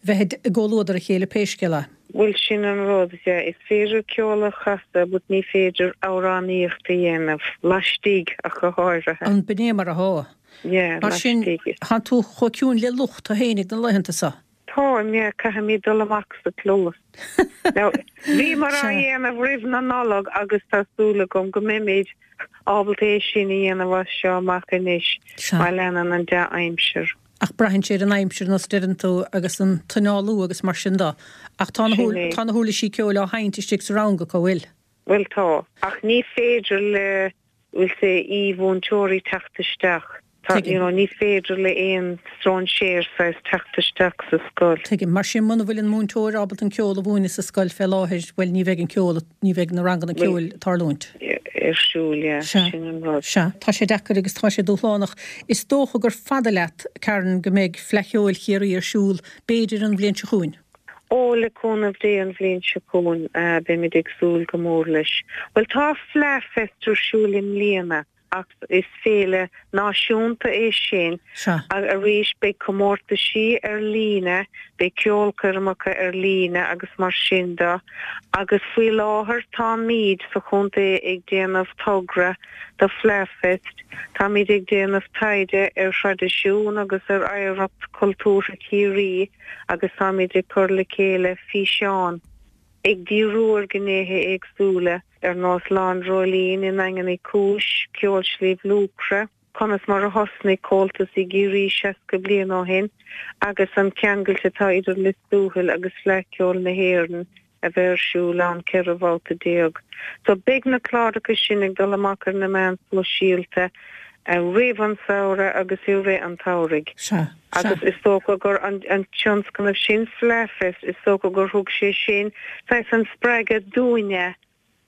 S1: bheith i gcomhluadar a chéile pé scéal é.
S5: Bhuel, sin an rud, yeah. Is féidir ceol a chasadh but ní féidir amhránaíocht a dhéanamh, laistigh ach go háirithe.
S1: An b'in é mar athá?
S5: Yeah,
S1: Mar sin,
S5: laistigh.
S1: thánn tú chomh ciúin le luch tú fhéinig na laethanta so.
S5: Táim, yeah, caithfimid dul amach sa chlós. Now, bhíomar á dhéanamh roimh na Nollag agus tá súil agam go mbeimid ábalta é sin a dhéanamh as seo amach anois má leanann an dea-aimsir.
S1: Ach braitheann sé ar an aimsir, nós a deireann tú, agus an t-análú agus mar sin de. Ach tá na tá na huirlisí ceoil á sheinnt istigh sa rang acu, bhfuil?
S5: Bhuel tá, ach ní féidir le bhfuil sé aoi-mhúinteoirí teacht isteach. Tá, you know, ní féidir le aon stróinséir saghas teacht isteach sa scoil.
S1: Tuigim. Mar sin, muna bhfuil an múinteoir ábalta an ceol a mhúineadh sa scoil fé láthair, bhuel, ní bheidh an ceol, ní bheidh na ranganna ceoil ag tarlúint.
S5: Ar siúl, yeah.
S1: Sea.
S5: Sin an rud.
S1: Sea. Tá sé deacair agus tá sé dúshlánach. Is dócha gur fada leat, Karen, go mbeidh Fleadh Cheoil Chiarraí ar siúl, b'fhéidir an bhliain seo chugainn.
S5: Ó, le cúnamh Dé an bhliain seo chugainn, beimid ag súil go mór leis. Bhuel, tá Fleadh Fest ar siúl i mbliana ach is féile náisiúnta é sin.
S1: Sea.
S5: Arís, beidh comórtaisí ar líne, beidh ceolchoirmeacha ar líne agus mar sin de. Agus faoi láthair táimid sa chontae ag déanamh togra do Fleadh Fest. Táimid ag déanamh taighde ar thraidisiún agus ar oidhreacht chultúrtha Chiarraí. agus táimid ag cur le chéile físeán ag díriú ar ghnéithe éagsúla ar nós Lá an Dreoilín i nDaingean Uí Chúis, Ceol Shliabh Luachra, conas mar a thosnaigh Comhaltas i gCiarraí 60 bliain ó shin agus an ceangailt atá idir Lios Tuathail agus Fleadh Cheoil na hÉireann a bheidh ar siúl ann 14 bhabhta. So beidh na cláracha sin ag dul amach ar na meáin sóisialta roimh an samhradh agus i rith an tsamhraidh.
S1: Sea, sea.
S5: Agus is dócha gur an tionscnamh sin, Fleadhfest, is dócha gur thug sé sin saghas an spreagadh dúinne,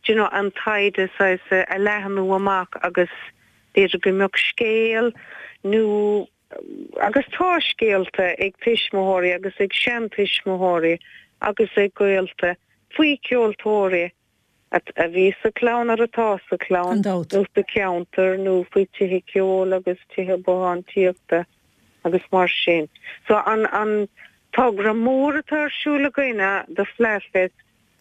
S5: do you know, an taighde saghas a leathnú amach agus b'fhéidir go mbeadh scéal nó Agus tá scéalta ag tuismitheoirí agus ag seantuismitheoirí agus ag gaolta faoi cheoltóirí a bhí sa chlann nó atá sa chlann
S1: nó
S5: sa cheantar nó faoi tithe ceoil agus tithe bothántíochta agus mar sin. So an an togra mór atá ar siúl againne do Fleadhfest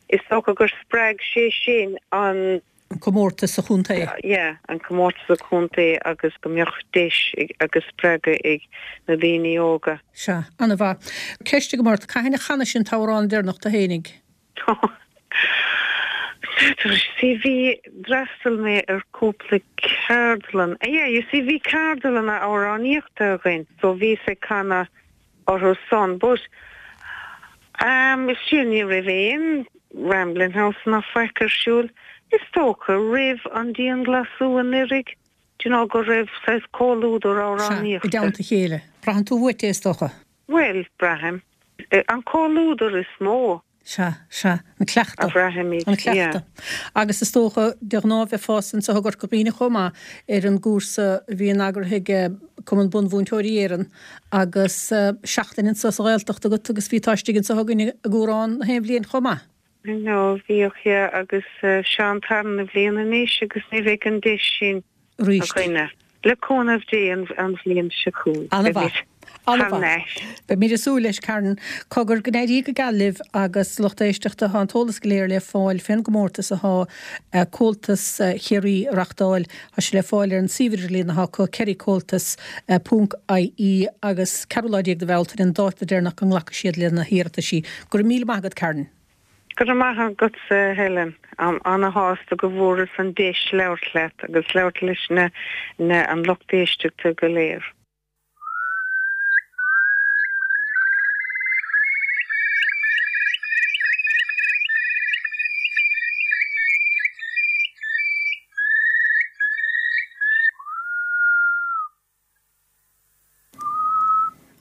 S5: Is dócha gur spreag sé sin an.
S1: An comórtas sa chontae.
S5: Yeah, an comórtas sa chontae agus go mbeadh deis agus spreagadh ag na daoine óga.
S1: Sea, an-mhaith. Ceist agam ort, cathain a chanais an t-amhrán deireanach tú fhéinig?
S5: N'fheadar, see bhí, d'fhreastail mé ar cúpla ceardlann, yeah, you see bhí ceardlanna amhránaíochta againn so bhíos ag canadh orthu san but ehm sea ní raibh aon Rambling House ná faic ar siúl is dócha roimh an dianglasú anuraidh do you know go raibh saghas comhluadar
S1: Sea, i
S5: amhránaíochta.
S1: dteannta a chéile. Braitheann tú uait é is dócha.
S5: Bhuel, braithim. An comhluadar is mó.
S1: Sea, sea. An cleachtadh.
S5: A bhraithimid,
S1: An cleachtadh.
S5: yeah.
S1: Agus is dócha, de ghnáth bheifeása anseo i gCorca Dhuibhne chomh maith ar an gcúrsa a bhíonn eagraithe ag Cumann Bunmhúinteoirí Éireann agus seachtain anseo sa Ghaeltacht agat agus bhítá istigh anseo againn i gCuarán na haon bhliain chomh maith.
S5: I know, bhíodh, yeah, agus seo an tarna bhliain anois agus ní bheidh an deis sin
S1: arís.
S5: againne. Le cúnamh Dé an bhliain seo chugainn.
S1: An-mhaith.
S5: Thar n-ais.
S1: Beimid ag súil leis, Karen. Cogar, go n-éirí go geal libh agus lucht éisteachta, tá an t-eolas go léir le fáil fén gcomórtas athá Comhaltas Chiarraí a reachtáil. Tá sé le fáil ar an suíomh idirlíon athá acu, kerrycomhaltas ponc ie agus ceathrú lá déag de Bhealtaine an dáta deireanach go nglacfaidh siad le na hiarrataisí. Go raibh míle maith agat, Karen.
S5: Go raibh maith agatsa, Helen. Táim ana-shásta go bhfuaireas an deis labhairt leat agus labhairt leis na na an lucht éisteachta go léir.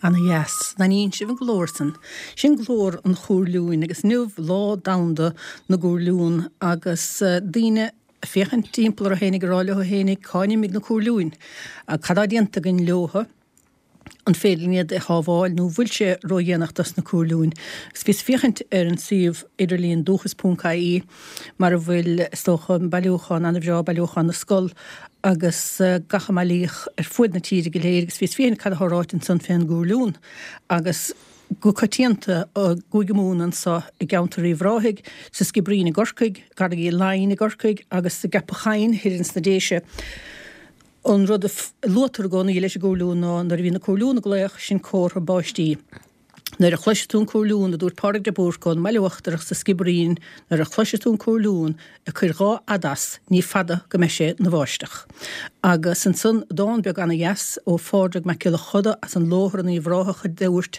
S1: Ana dheas. An aithníonn sibh an glór san? Sin glór an chúirliúin agus inniu Lá Domhanda na gCúirliún agus daoine ag féachaint timpeall orthu fhéinig ag rá leo fhéinig cá n-imigh na cúirliúin? Cad tá déanta againn leotha? An féidir linn iad a shábháil nó bhfuil sé ródhéanach dos na cúirliúin? Agus bhíos ag féachaint ar an suíomh idirlíon dúchas ponc ie mar a bhfuil is dócha an bailiúchán ana-bhreá, bailiúchán na Scol agus gach a mbailíodh ar fuaid na tíre go léir agus bhíos ag féachaint cad atá ráite ansan fén gcúirliún agus go coitianta i gCúige Mumhan anso i gceantar Uíbh Ráthaigh, sa Sciobairín i gCorcaigh, gCarraig Uí Leighin i gCorcaigh agus i gCeapach Choinn thoir ins na Déise. An rud a luaitear i gcónaí leis an gcúirliún ná nuair a bhíonn na cúirliúin ag glaoch sin comhartha báistí. Nuair a chloisfidh tú an cúirliún, a dúirt Pádraig de Búrca ón mBaile Uachtarach sa Sciobairín, nuair a chloisfidh tú an cúirliún ag cuir dhá fhad as, ní fada go mbeidh sé 'na bháisteach. Agus ansan dán beag ana-dheas ó Phádraig Mac Giolla Choda as an Lóthar in Uíbh Ráthach a dúirt,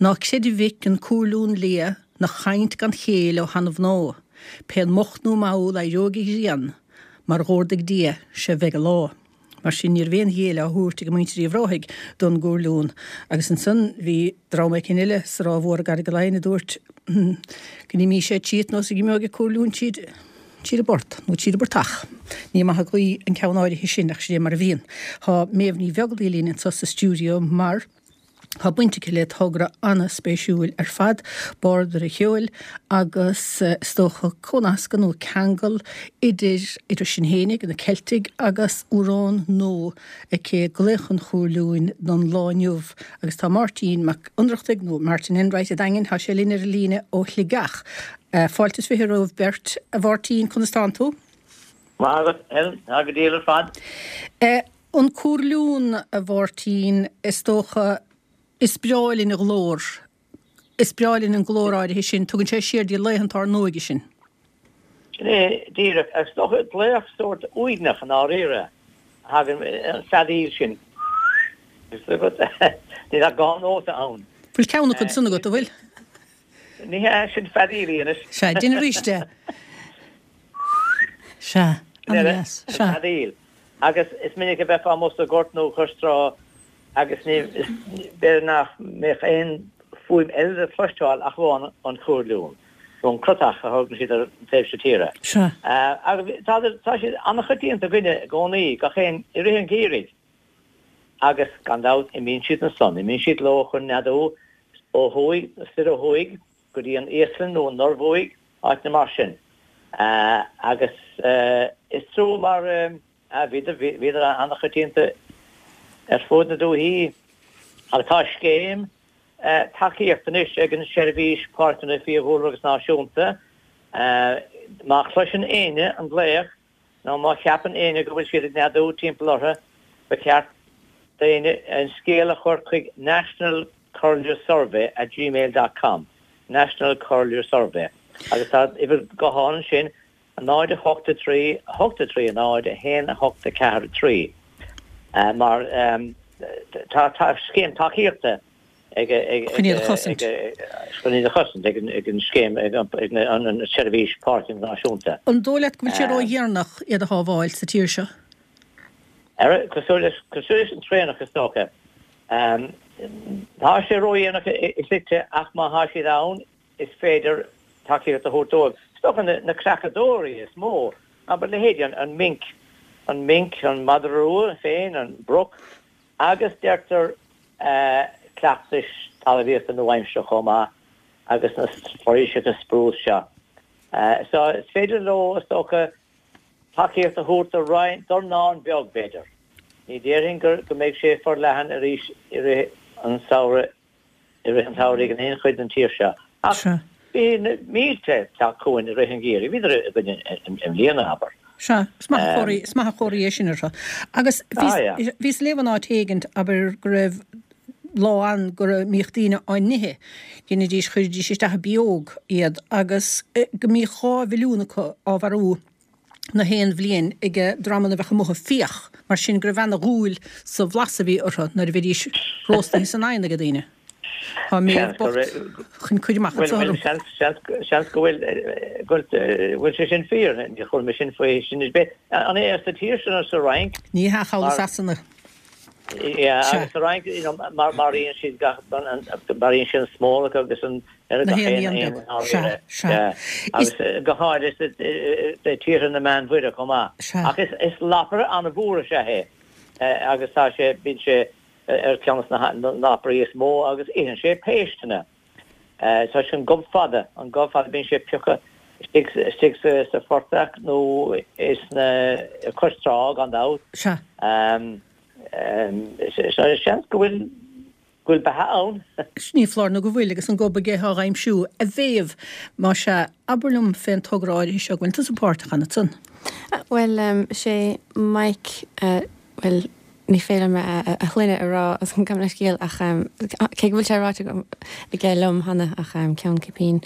S1: Ná creid a mhic an cúirliún liath 'na chaint gan chéill ó sheana-mhná, pén moch nó mall éireoidh an ghrian, mar dh'órdaigh Dia, 'sé bheidh an lá. Mar sin, ní raibh aon ghéilleadh á thabhairt ag muintir Uíbh Ráthaigh don gcúirliún. Agus ansan bhí dream éicint eile sa Ráth Mhór i gCarraig Laighin a dúirt go n-imíodh sé tríot nós go n-imeodh an cúirliún tríd tríd an bport, nó tríd an bportach. Ní maith an ghaoth an ceann áirithe sin ach sin é mar a bhíonn. Tá Méabh Ní Bheaglaoí linn anso sa stiúideo mar. Tá baint aici le togra an-spéisiúil ar fad, Bardaire Cheoil, agus is dócha comhnascadh nó ceangal idir idir sinn fhéinig, na Ceiltigh, agus amhrán nua aici, Glaoch an Chúirliúin don lá inniu. Agus tá Máirtín Mac Ionnrachtaigh, nó Martin Enright a' Daingin, tá sé linn ar an líne ó Shligeach. Fáilte is 20 romhaibh beirt, a Mháirtín, conas tánn tú?
S6: Maith agat, Helen, tá go diail ar fad.
S1: An cúirliún, a Mháirtín, is dócha, is breá linn a ghlór. Is breá linn an glór áirithe sin. Tugann sé siar dtí laethanta ár n-óige sinn.
S6: Sin é díreach. Is dócha, glaoch sórt uaigneach i ndáiríre a thagann, an feadaíl sin. Níl ach dhá nóta ann.
S1: Bhfuil ceann acu san agat, an bhfuil?
S6: Ní hea, sin feadaíl í anois.
S1: Sea, déan arís é. Sea, an-deas.
S6: Sea. An feadaíl. Agus is minic a bheifeá amuigh sa ghort nó cois trá agus ní, b'fhéidir nach mbeadh aon fuaim eile le cloisteáil ach amháin an cúirliún, nó an crotach a thugann siad ar an taobh seo tíre.
S1: Sea.
S6: Agus tá, tá siad an-choitianta againne i gcónaí, gach aon, i rith an gheimhridh. Agus gan dabht imíonn siad ansan, imíonn siad leo chun neadú ó thuaidh, soir ó thuaidh go dtí an Íoslainn nó an Norbhuaidh, áiteanna mar sin. Agus is trua mar bhíodar, bhíodar an-choitianta ar fuaid na dúichí. Agus tá scéim tacaíochta anois ag an Seirbhís Páirceanna Fiadhúlra agus Náisiúnta. Má chloiseann éinne an glaoch nó má cheapann éinne go bhfuil siad ag neadú timpeall orthu, ba cheart d'éinne an scéal a chur chuig National Curlew Survey at gmail dot com, National Curlew Survey, agus tá uimhir gutháin ansin, 0 8 3 8 3 0 1 8 4 3, mar tá tá scéim tacaíochta ag
S1: Chun iad a chosaint.
S6: Chun iad a chosaint ag an scéim, ag an tSeirbhís Páirceanna Náisiúnta.
S1: An dóigh leat go bhfuil sé ródheireanach iad a shábháil sa tír seo?
S6: Cosúil leis an traonach is dócha. Tá sé ródhéanach i slite ach má thá siad ann is féidir. tacaíocht a thabhairt dóibh. Is dócha na creachadóirí is mó, abair leithéidí an minc, an minc, an madra rua féin, an broc, agus deirtear cleachtais talmhaíochta nua-aimseartha chomh maith agus na foraoiseacha sprús seo. So is féidir leo, is dócha, tacaíocht a thabhairt do roinnt, dornán beag b'fhéidir. Ní déarfainn go mbeidh sé forleathan arís i rith an samhradh, i rith an tsamhraidh in aon chuid den tír seo. Ach bhí na mílte ag teacht chugainn i rith an gheimhridh, bhíodar againn i mbliana, abair.
S1: Sea, is maith an chomhartha, is maith an chomhartha é sin orthu. Agus bhíos ag léamh in áit éigint, abair, go raibh lá ann go mbíodh daoine á n-ithe, dheinidís, chuiridís isteach i bpióg iad agus go mbíodh 2 mhilliún acu á mharú na haon bhliain ag dreamanna a bheadh amuigh ag fiach, mar sin go raibh ana-dhúil sa bhlas a bhí orthu nuair a bhídís róstaithe san oigheann ag daoine. Tá Méabh bocht chun cur amach
S6: anseo orm. Seans go bhfuil go bhfuil sé sin fíor, níor chuala mé sin faoi sin ar bith. An é sa tír seo nó sa Fhrainc?
S1: Ní hea, thall i Sasana.
S6: Yeah, agus sa Fhrainc, you know, maraíonn siad gach, maraíonn siad an smólach agus an, ar gach aon éan. Sea, sea. Agus go háirithe i tíortha na Meánmhuire chomh maith. Sea. Ach is lapaire an-mhór is ea é agus tá sé, bíonn sé ar cheann de na lapairí is mó agus itheann sé péisteanna. Tá sé an gob fada, an gob fada, bíonn sé ag piocadh istigh, istigh sa, sa phortach nó sna, cois trá gan dabht.
S1: Sea.
S6: Seans go bhfuil, go bhfuil beatha ann.
S1: Ní foláir nó go bhfuil, agus an gob aige á aimsiú. A Mhéabh, más ea, abair liom fén togra áirithe seo, go bhfuil tusa páirteach ann ansan.
S3: Bhuel, sé Mike, bhuel, ní féidir liom a shloinne a rá gabh mo leithscéal ach cé go bhfuil sé ráite agam aige liom cheana ach ceann cipín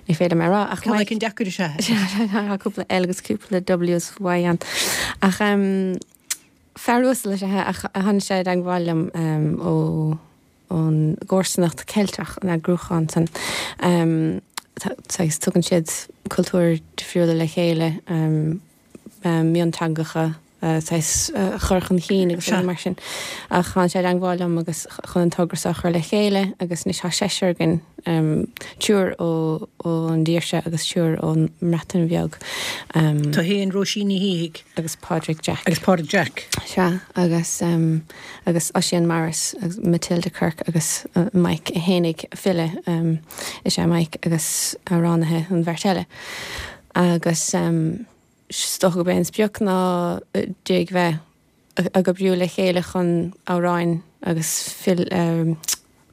S3: ní féidir liom é a rá
S1: ach Ceann éicint deacair is ea
S3: é. Tá cúpla L agus cúpla W is Y ann ach fear uasal is ea é ach tháinig sé i dteagmháil liom ó ón gComharsanacht Ceilteach, an eagrúchán san. Saghas tugann siad cultúir difriúla le chéile, mionteangacha saghas a chur chun cinn agus rudaí mar sin. Ach tháinig sé i dteagmháil liom agus chun an togra seo a chur le chéile agus anois tá seisear againn, triúr ón dtír seo agus triúr ón mBreatain Bheag.
S1: Tú féin, Róisín Ní Shíthigh.
S3: Agus Pádraig Jack.
S1: Agus Pádraig Jack.
S3: Sea, agus agus Oisín Morris agus Matilda Kirk agus Mike é fhéinig, file is ea Mike agus amhránaithe an bheirt eile. Agus is dócha gurb é an sprioc ná d'iarraidh bheith ag oibriú le chéile chun amhráin agus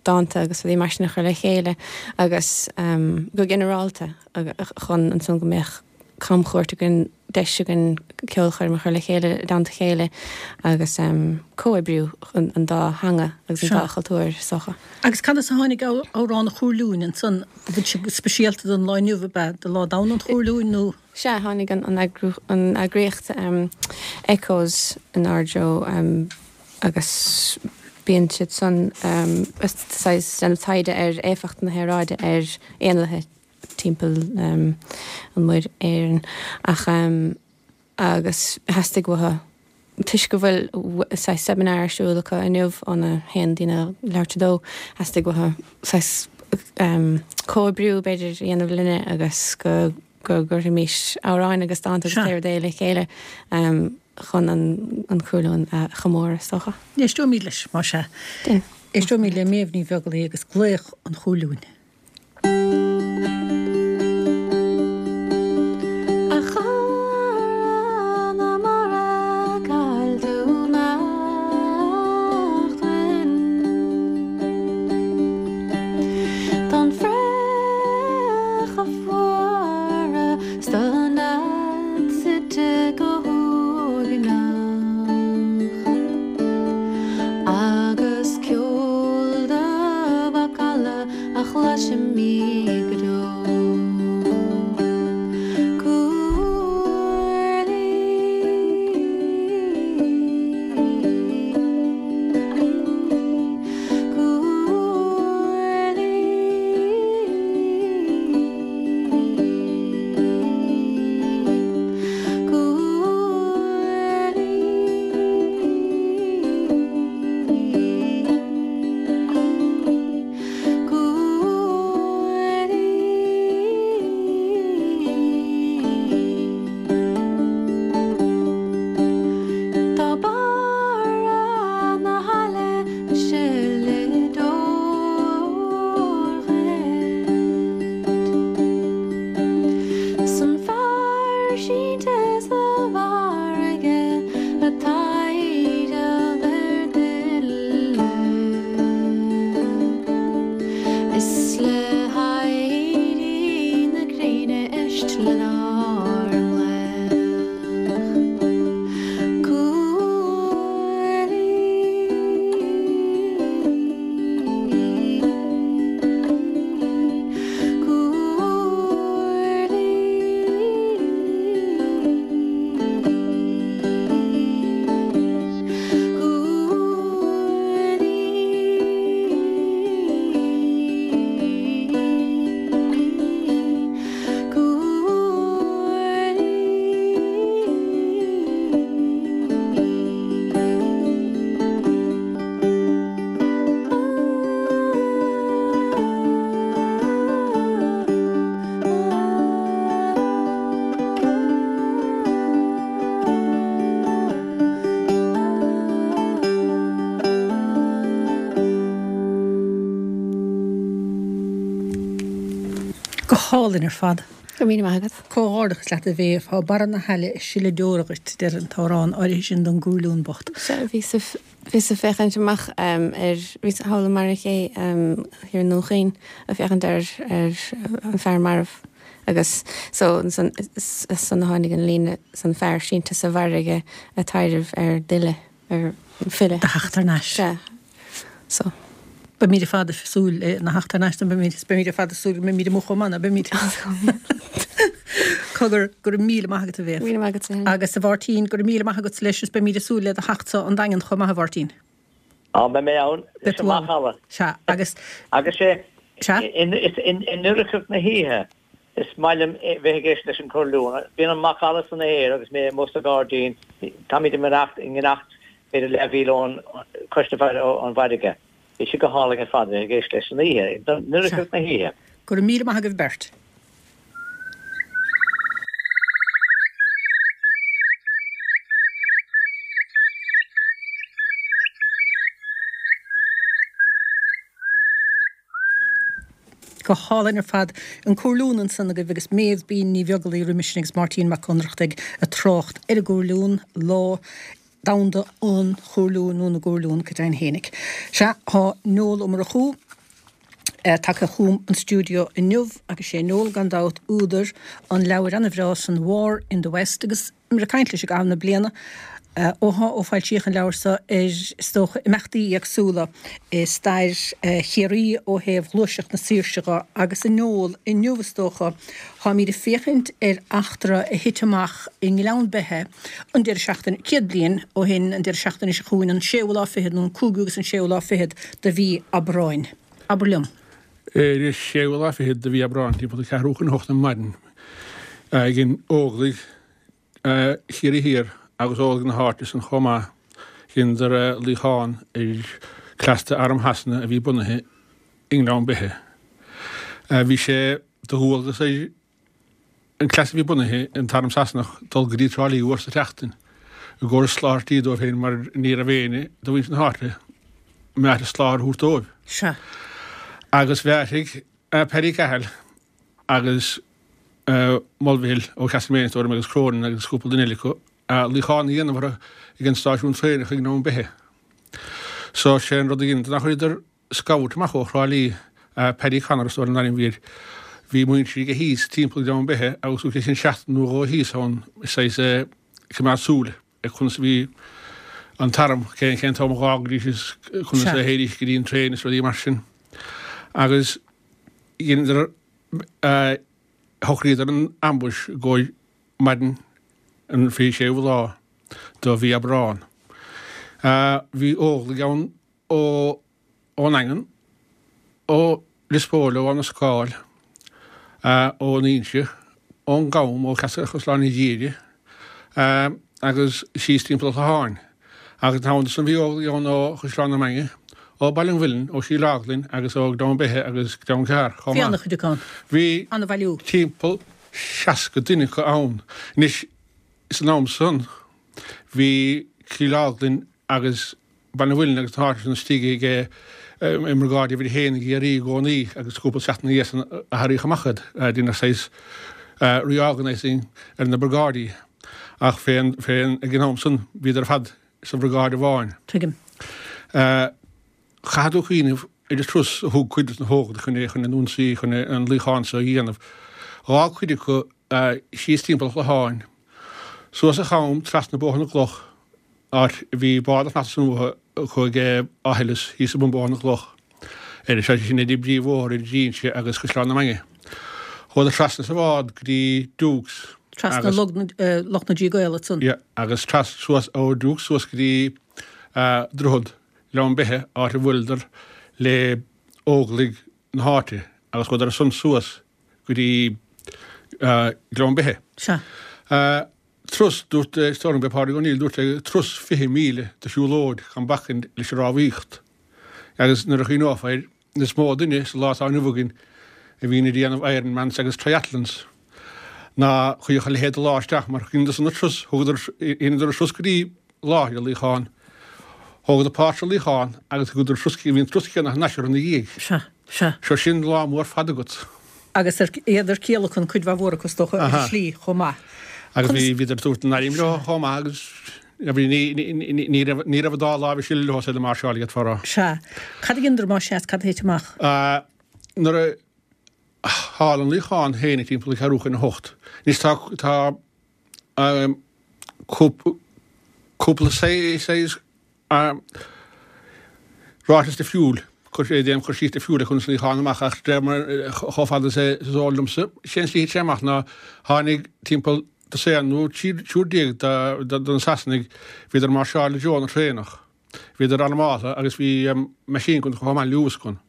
S3: dánta agus rudaí mar sin a chur le chéile agus go ginearálta chun ansan go mbeadh camchuairt againn, deis againn ceolchoirm a chur le chéile i dteannta a chéile agus comhoibriú chun an dá theanga agus an dá chultúr is dócha.
S1: Agus conas a tháinig Amhrán an Chúirliúin ansan? An bhfuil sé speisialta don lá inniu, ab ea, do Lá Domhanda an Chúirliúin nó?
S3: Sea, tháinig an eagraíocht Echoes inár dtreo agus bíonn siad san saghas déanamh taighde ar éifeacht na haeráide ar éanlaithe timpeall an Mhuir Éireann ach agus theastaigh uathu toisc go bhfuil saghas seimineár ar siúl acu inniu óna haon go dtína leathuair tar 2, theastaigh uathu saghas comhoibriú b'fhéidir a dhéanamh linne agus go go gcuirfimis amhráin agus dánta agus pé rud é le chéile chun an Cúrliúin a chomóradh is dócha.
S1: Éisteoimid leis, más ea. Éisteoimid le Méabh Ní Bheaglaoich agus Glaoch an Chúirliúin.
S3: A chara na mara cá bhfuil tú nach bhfuil Don fraoch a fuaradh 's don nead suite go huaigneach Agus ceol do mhacalla a chloistear.
S1: hálainn ar fad.
S3: Go raibh míle maith agat.
S1: Comhghairdeachas leat a Mhéabh. Tá barra na haille ag sileadh deora dhuit, a deir an t-amhrán áirithe sin don gcuarliún bocht.
S3: Sea, bhíos bhíos ag féachaint amach ar, bhíos thall i mBarra Ché thiar i nDún Chaoin ag féachaint ar ar an fear marbh agus so ansan is as san a tháinig an líne san fear sínte sa bhfarraige ag taidhreamh ar d'fhilleadh. ar filleadh.
S1: Do theacht thar n-ais.
S3: Sea. So.
S1: Beimid ar fad ag súil lena theacht thar n-ais nó beimid, beimid ar fad ag súil go mbeimid amuigh chomh maith, ná beimid? Cogar, go raibh míle maith agat a Mhéabh.
S3: Míle maith agatsa
S1: féin. Agus a Mháirtín, go raibh míle maith agatsa leis is beimid ag súil le do theachtsa 'on Daingean chomh maith a Mháirtín.
S6: Á, beidh mé ann.
S1: Beidh tú ann. Sea, agus.
S6: Agus sé,
S1: Sea?
S6: i ndoircheacht na hoíche, Is maith liom bheith ag éisteacht leis an curlún. Bíonn an macalla san aer agus mé amuigh sa ghairdín. Táimid i ngiorracht, i ngiorracht b'fhéidir leathmhíle ón, cois na farraige, ón bhfarraige. Bhí sé go hálainn ar fad a bheith ag éisteacht leis san oíche, i ndoircheacht na hoíche.
S1: Go raibh míle maith agaibh beirt. Go hálainn ar fad. An Cuarliún ansan agaibh agus Méabh Bean Ní Bheaglaoí roimis sin agus Máirtín Mac Ionnrachtaigh ag trácht ar an gcuarliún, Lá Domhanda an Chuarliúin nó na gCuarliún go deimhin fhéinig. Sea, tá Noel Ó Murchú tagtha chugam an stiúideo inniu agus sé Noel gan dabht údar an leabhair ana-bhreá san War in the West agus Bhíomar ag caint leis i gcaitheamh na bliana ó ó foilsíodh an leabhar seo ar, is dócha, imeachtaí éagsúla i stair Chiarraí ó thaobh ghluaiseacht na saoirse dhe agus a Noel, inniu is dócha, táimid ag féachaint ar eachtra a thit amach i nGleann Beithe an deireadh seachtaine, 100 bliain ó shin an deireadh seachtaine seo chugainn, an séú lá fichead nó an cúigiú agus an séú lá fichead de mhí Aibreáin. Abair liom.
S7: Ar an séú lá fichead de mhí Aibreáin, timpeall a ceathrú chun a hocht ar maidin, dhein Óglaigh Chiarraí Thiar agus Óglaigh na háite san chomh maith, dheineadar luíochán ar chleas d'Arm Shasana a bhí bunaithe i nGleann Beithe. Bhí sé de dhualgas ar an cleas a bhí bunaithe, an tArm Sasanach, dul go dtí Trá Lí uair sa tseachtain i gcomhair soláthairtí dóibh féin mar ní raibh éinne de mhuintir na háite meáite soláthar a thabhairt dóibh.
S1: Sea.
S7: Agus bheartaigh Paddy Cahill agus Mulvihill ó Castlemaine is dóigh liom agus Cronin agus cúpla duine eile acu luíochán a dhéanamh orthu ag an stáisiún traenach i nGleann Beithe. So sé an rud a dheineadar ná chuireadar scout amach ó Thrá Lí, Paddy Connor is dóigh liom an ainm a bhí air. Bhí muintir aige thíos timpeall Ghleann Beithe agus thug sé sin seachtain nó dhó thíos ann saghas ag coimeád súil ar conas a bhí an t-arm, cén cén t-am a dh'fhágaidís is conas a théidís go dtí an traein is rudaí mar sin. Agus dheineadar, shocraíodar an ambush i gcomhair maidin an 26ú lá de mhí Aibreán. Bhí Óglaigh ann ó ón nDaingean, ó Lios Póil, ó Abha na Scáil, ón Inse, ón gCam, ó Chaisleán an Ghiarraidh agus síos timpeall an Chlocháin. Agus ina theannta san bhí Óglaigh ann ó Chaisleán na Mainge, ó Baile an Mhuilinn, ó Chill Orglan agus ó Ghleann Beithe agus Gleann Ceathair
S1: chomh maith. Bhí an-chuid acu ann.
S7: Bhí timpeall 60 duine acu ann. Anois, san am san, bhí Cill Orglan agus Baile an Mhuilinn agus na háiteanna sin istigh ag i mbriogáid uimhir a haon i gCiarraí i gcónaí agus cúpla seachtain ina dhiaidh san athraíodh amach iad. Deineadh saghas reorganising ar na briogáidí ach fén fén ag an am san bhíodar ar fad sa bhriogáid amháin.
S1: Tuigim.
S7: Chaithfidh tú cuimhneamh ar an turas a thug cuid de na hÓglaigh chun é chun an ionsaí chun an luíochán seo a dhéanamh. Dh'fhág cuid acu síos timpeall an Chlocháin, suas an Cham trasna Bóthar na gCloch, áit a bhí bád ag fanacht ansan uathu acu ag Áth Ilis thíos i mbun Bóthar na gCloch, ar sé sin idir an bpríomhbhóthar idir Inse agus Caisleán na Mainge. Chuadar trasna sa bhád go dtí Dukes
S1: Trasna agus. Loch na dTrí gCaol ansan.
S7: Yeah, agus tras suas ó Dukes suas go dtí Droichead Ghleann Beithe áit a bhuaileadar le Óglaigh na háite agus chuadar ansan suas go dtí Gleann Beithe.
S1: Sea.
S7: Turas, dúirt, is dóigh liom gurb é Pádraig O'Neill, dúirt sé, turas 20 míle de shiúlóid gan bacainn leis an rámhaíocht. Agus nuair a chuimhneofá air, is mó duine sa lá atá inniu againn a bhíonn ag déanamh Ironmans agus Triathlons ná chuirfeadh a leithéid de lá isteach mar dheineadar san an turas, thugadar, dheineadar an turas go dtí láthair an luíocháin, thógadar páirt sa luíochán agus thugadar an turas, bhí an turas céanna thar n-ais orthu ina dhiaidh.
S1: Sea, sea.
S7: Seo sin lá mór fada agat.
S1: Agus iad ar ciallacan, cuid mhaith mhór acu is dócha, ar an slí chomh maith.
S7: Agus bhí, bhíodar ag tabhairt a n-airm leo chomh maith agus bhí, ní, ní, ní raibh, ní raibh an dá láimh ag sileadh leo is iad ag máirseáil d'fhéadfá a rá.
S1: Sea. Cad a dheineadar más ea is cad a thit amach?
S7: Nuair a tharla an luíochán féin ag timpeall ceathrú chun a hocht. Anois tá, tá cúpla saghas ráiteas difriúil, déanamh cur síos difriúil ar conas an luíochán amach ach de réir mar chomh fada is is eol liomsa, sé an tslí a thit sé amach ná tháinig timpeall dosaen nó triúr déag de na Sasanaigh, bhíodar ag máirseáil i dtreo na traenach. Bhíodar armáltha agus bhí machine gun chomh maith Lewis gun.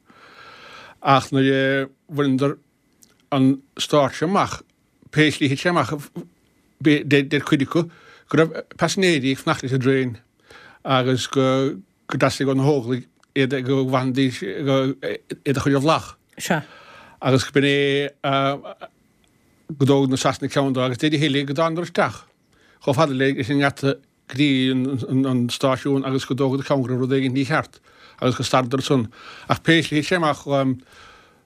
S7: Ach nuair a bhaineadar an stáitse amach, pé slí a thit sé amach, deir cuid acu go raibh paisinéirí ag fanacht leis an dtraein agus go dteastaigh ó na hÓglaigh iad go bhfanfaidís iad a chur i bhfolach.
S1: Sea.
S7: Agus go b'in é go dtóg na Sasanaigh ceann dó agus deir a thuilleadh go dtánadar isteach chomh fada leis an ngeata go dtí an stáisiún agus go dtógadar ceann go raibh rud éigin mícheart agus go stadadar ansan. Ach pé slí a thit sé amach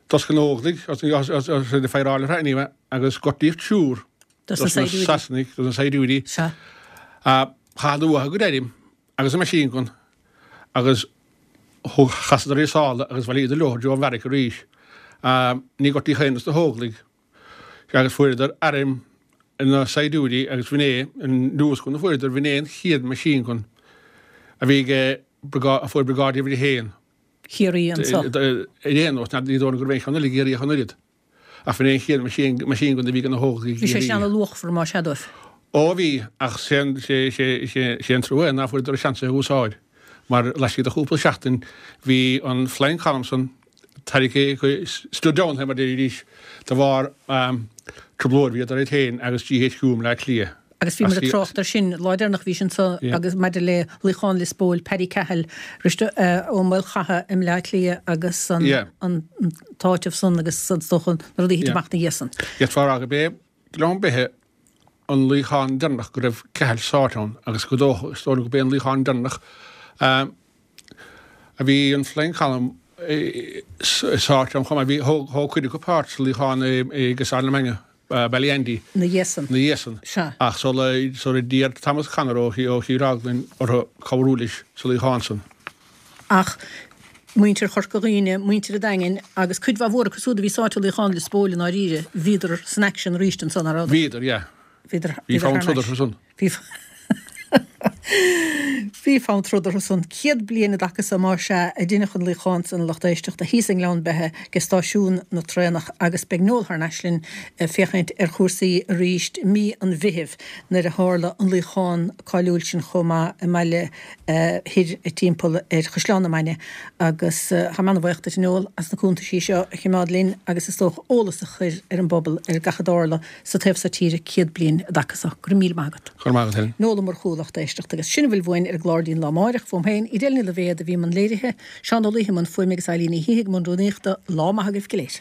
S7: d'oscail na hÓglaigh, os iad ag fireáil orthu anyway, agus gortaíodh triúr dos na Sasanaigh, dos na saighdiúirí. Chaitheadar uathu a gcuid airm agus a machine gun agus thug, chasadar ar a sála agus bhailíodar leo i dtreo an bheairic arís. Ní gortaíodh aon dos na hÓglaigh. Agus fuaireadar airm na saighdiúirí agus b'in é an Lewis gun a fuaireadar, b'in é an chéad machine gun a bhí ag a fuair Briogáid Uimhir a hAon.
S1: Chiarraí anso.
S7: Ar aon nós, ní dóigh liom go raibh aon cheann eile i gCiarraí ach an oiread. Ach b'in é an chéad machine gun a bhí ag na hÓglaigh i
S1: Bhí sé sin ana-luachmhar más ea dóibh.
S7: Ó bhí, ach sé an trua é ná fuaireadar seans é a úsáid, mar laistigh de chúpla seachtain bhí an Flying Column san tarraingthe stood down mar a deiridís de bharr trioblóid bhíodar iad féin agus GHQ i mBleá Cliath.
S1: Agus bhíomar ag trácht air sin lá deireanach a bhís anso agus maidir le luíochán Lios Póil, Paddy Cahill, Risteard Ó Maolchatha i mBleá Cliath agus an t-áiteamh san agus is dócha na rudaí a thit amach ina dhiaidh san.
S7: D'fhéadfá a rá gurb é Gleann Beithe an luíochán deireanach go raibh Cahill sáite ann agus go dócha, is dóigh liom gurb é an luíochán deireanach a bhí an Flying Column sáite ann chomh maith. Bhí, thóg cuid acu páirt sa luíochán i gCaisleán na Mainge, Ballyandy.
S1: Ina dhiaidh san.
S7: Ina dhiaidh san.
S1: Sea.
S7: Ach sula, sula d'iarr Thomas Connor ó Thír Eoghain orthu cabhrú leis sa luíochán san.
S1: Ach muintir Chorca Dhuibhne, muintir an Daingin agus cuid mhaith mhór acu siúd a bhí sáite i luíochán Lios Póil i ndáiríre, bhíodar san aicsean arís ansan, nach rabhadar?
S7: Bhíodar, yeah.
S1: Bhíodar,
S7: Bhí fonn troda orthu san.
S1: Bhí Bhí fonn troda orthu san. 100 bliain i dtaca so más ea a deineadh an luíochán san a lucht éisteachta thíos i nGleann Beithe ag stáisiún na traenach agus beidh Noel thar n-ais linn ag féachaint ar chúrsaí arís i mí an Mheithimh nuair a tharla an luíochán cáiliúil sin chomh maith i mBaile Thoir timpeall ar Chaisleán na Mainge agus táim ana-bhuíoch duit a Noel as na cuntaisí seo a chimeád linn agus is dócha eolas a chur ar an bpobal ar gach a dtarla sa taobh so tíre 100 bliain i dtaca so. Go raibh míle maith agat.
S7: Go raibh maith agat, Helen.
S1: Noel Ó Murchú, lucht éisteachta, agus sin a bhfuil uainn ar an gclár dtí'n lá amáireach. Fúm féin, Edel Ní Loibhéad a bhí i mbun léirithe, Seán Ó Laoithe i mbun fuaime agus Eilín Ní Shíthigh i mbun rúnaíochta. Lá maith agaibh go léir.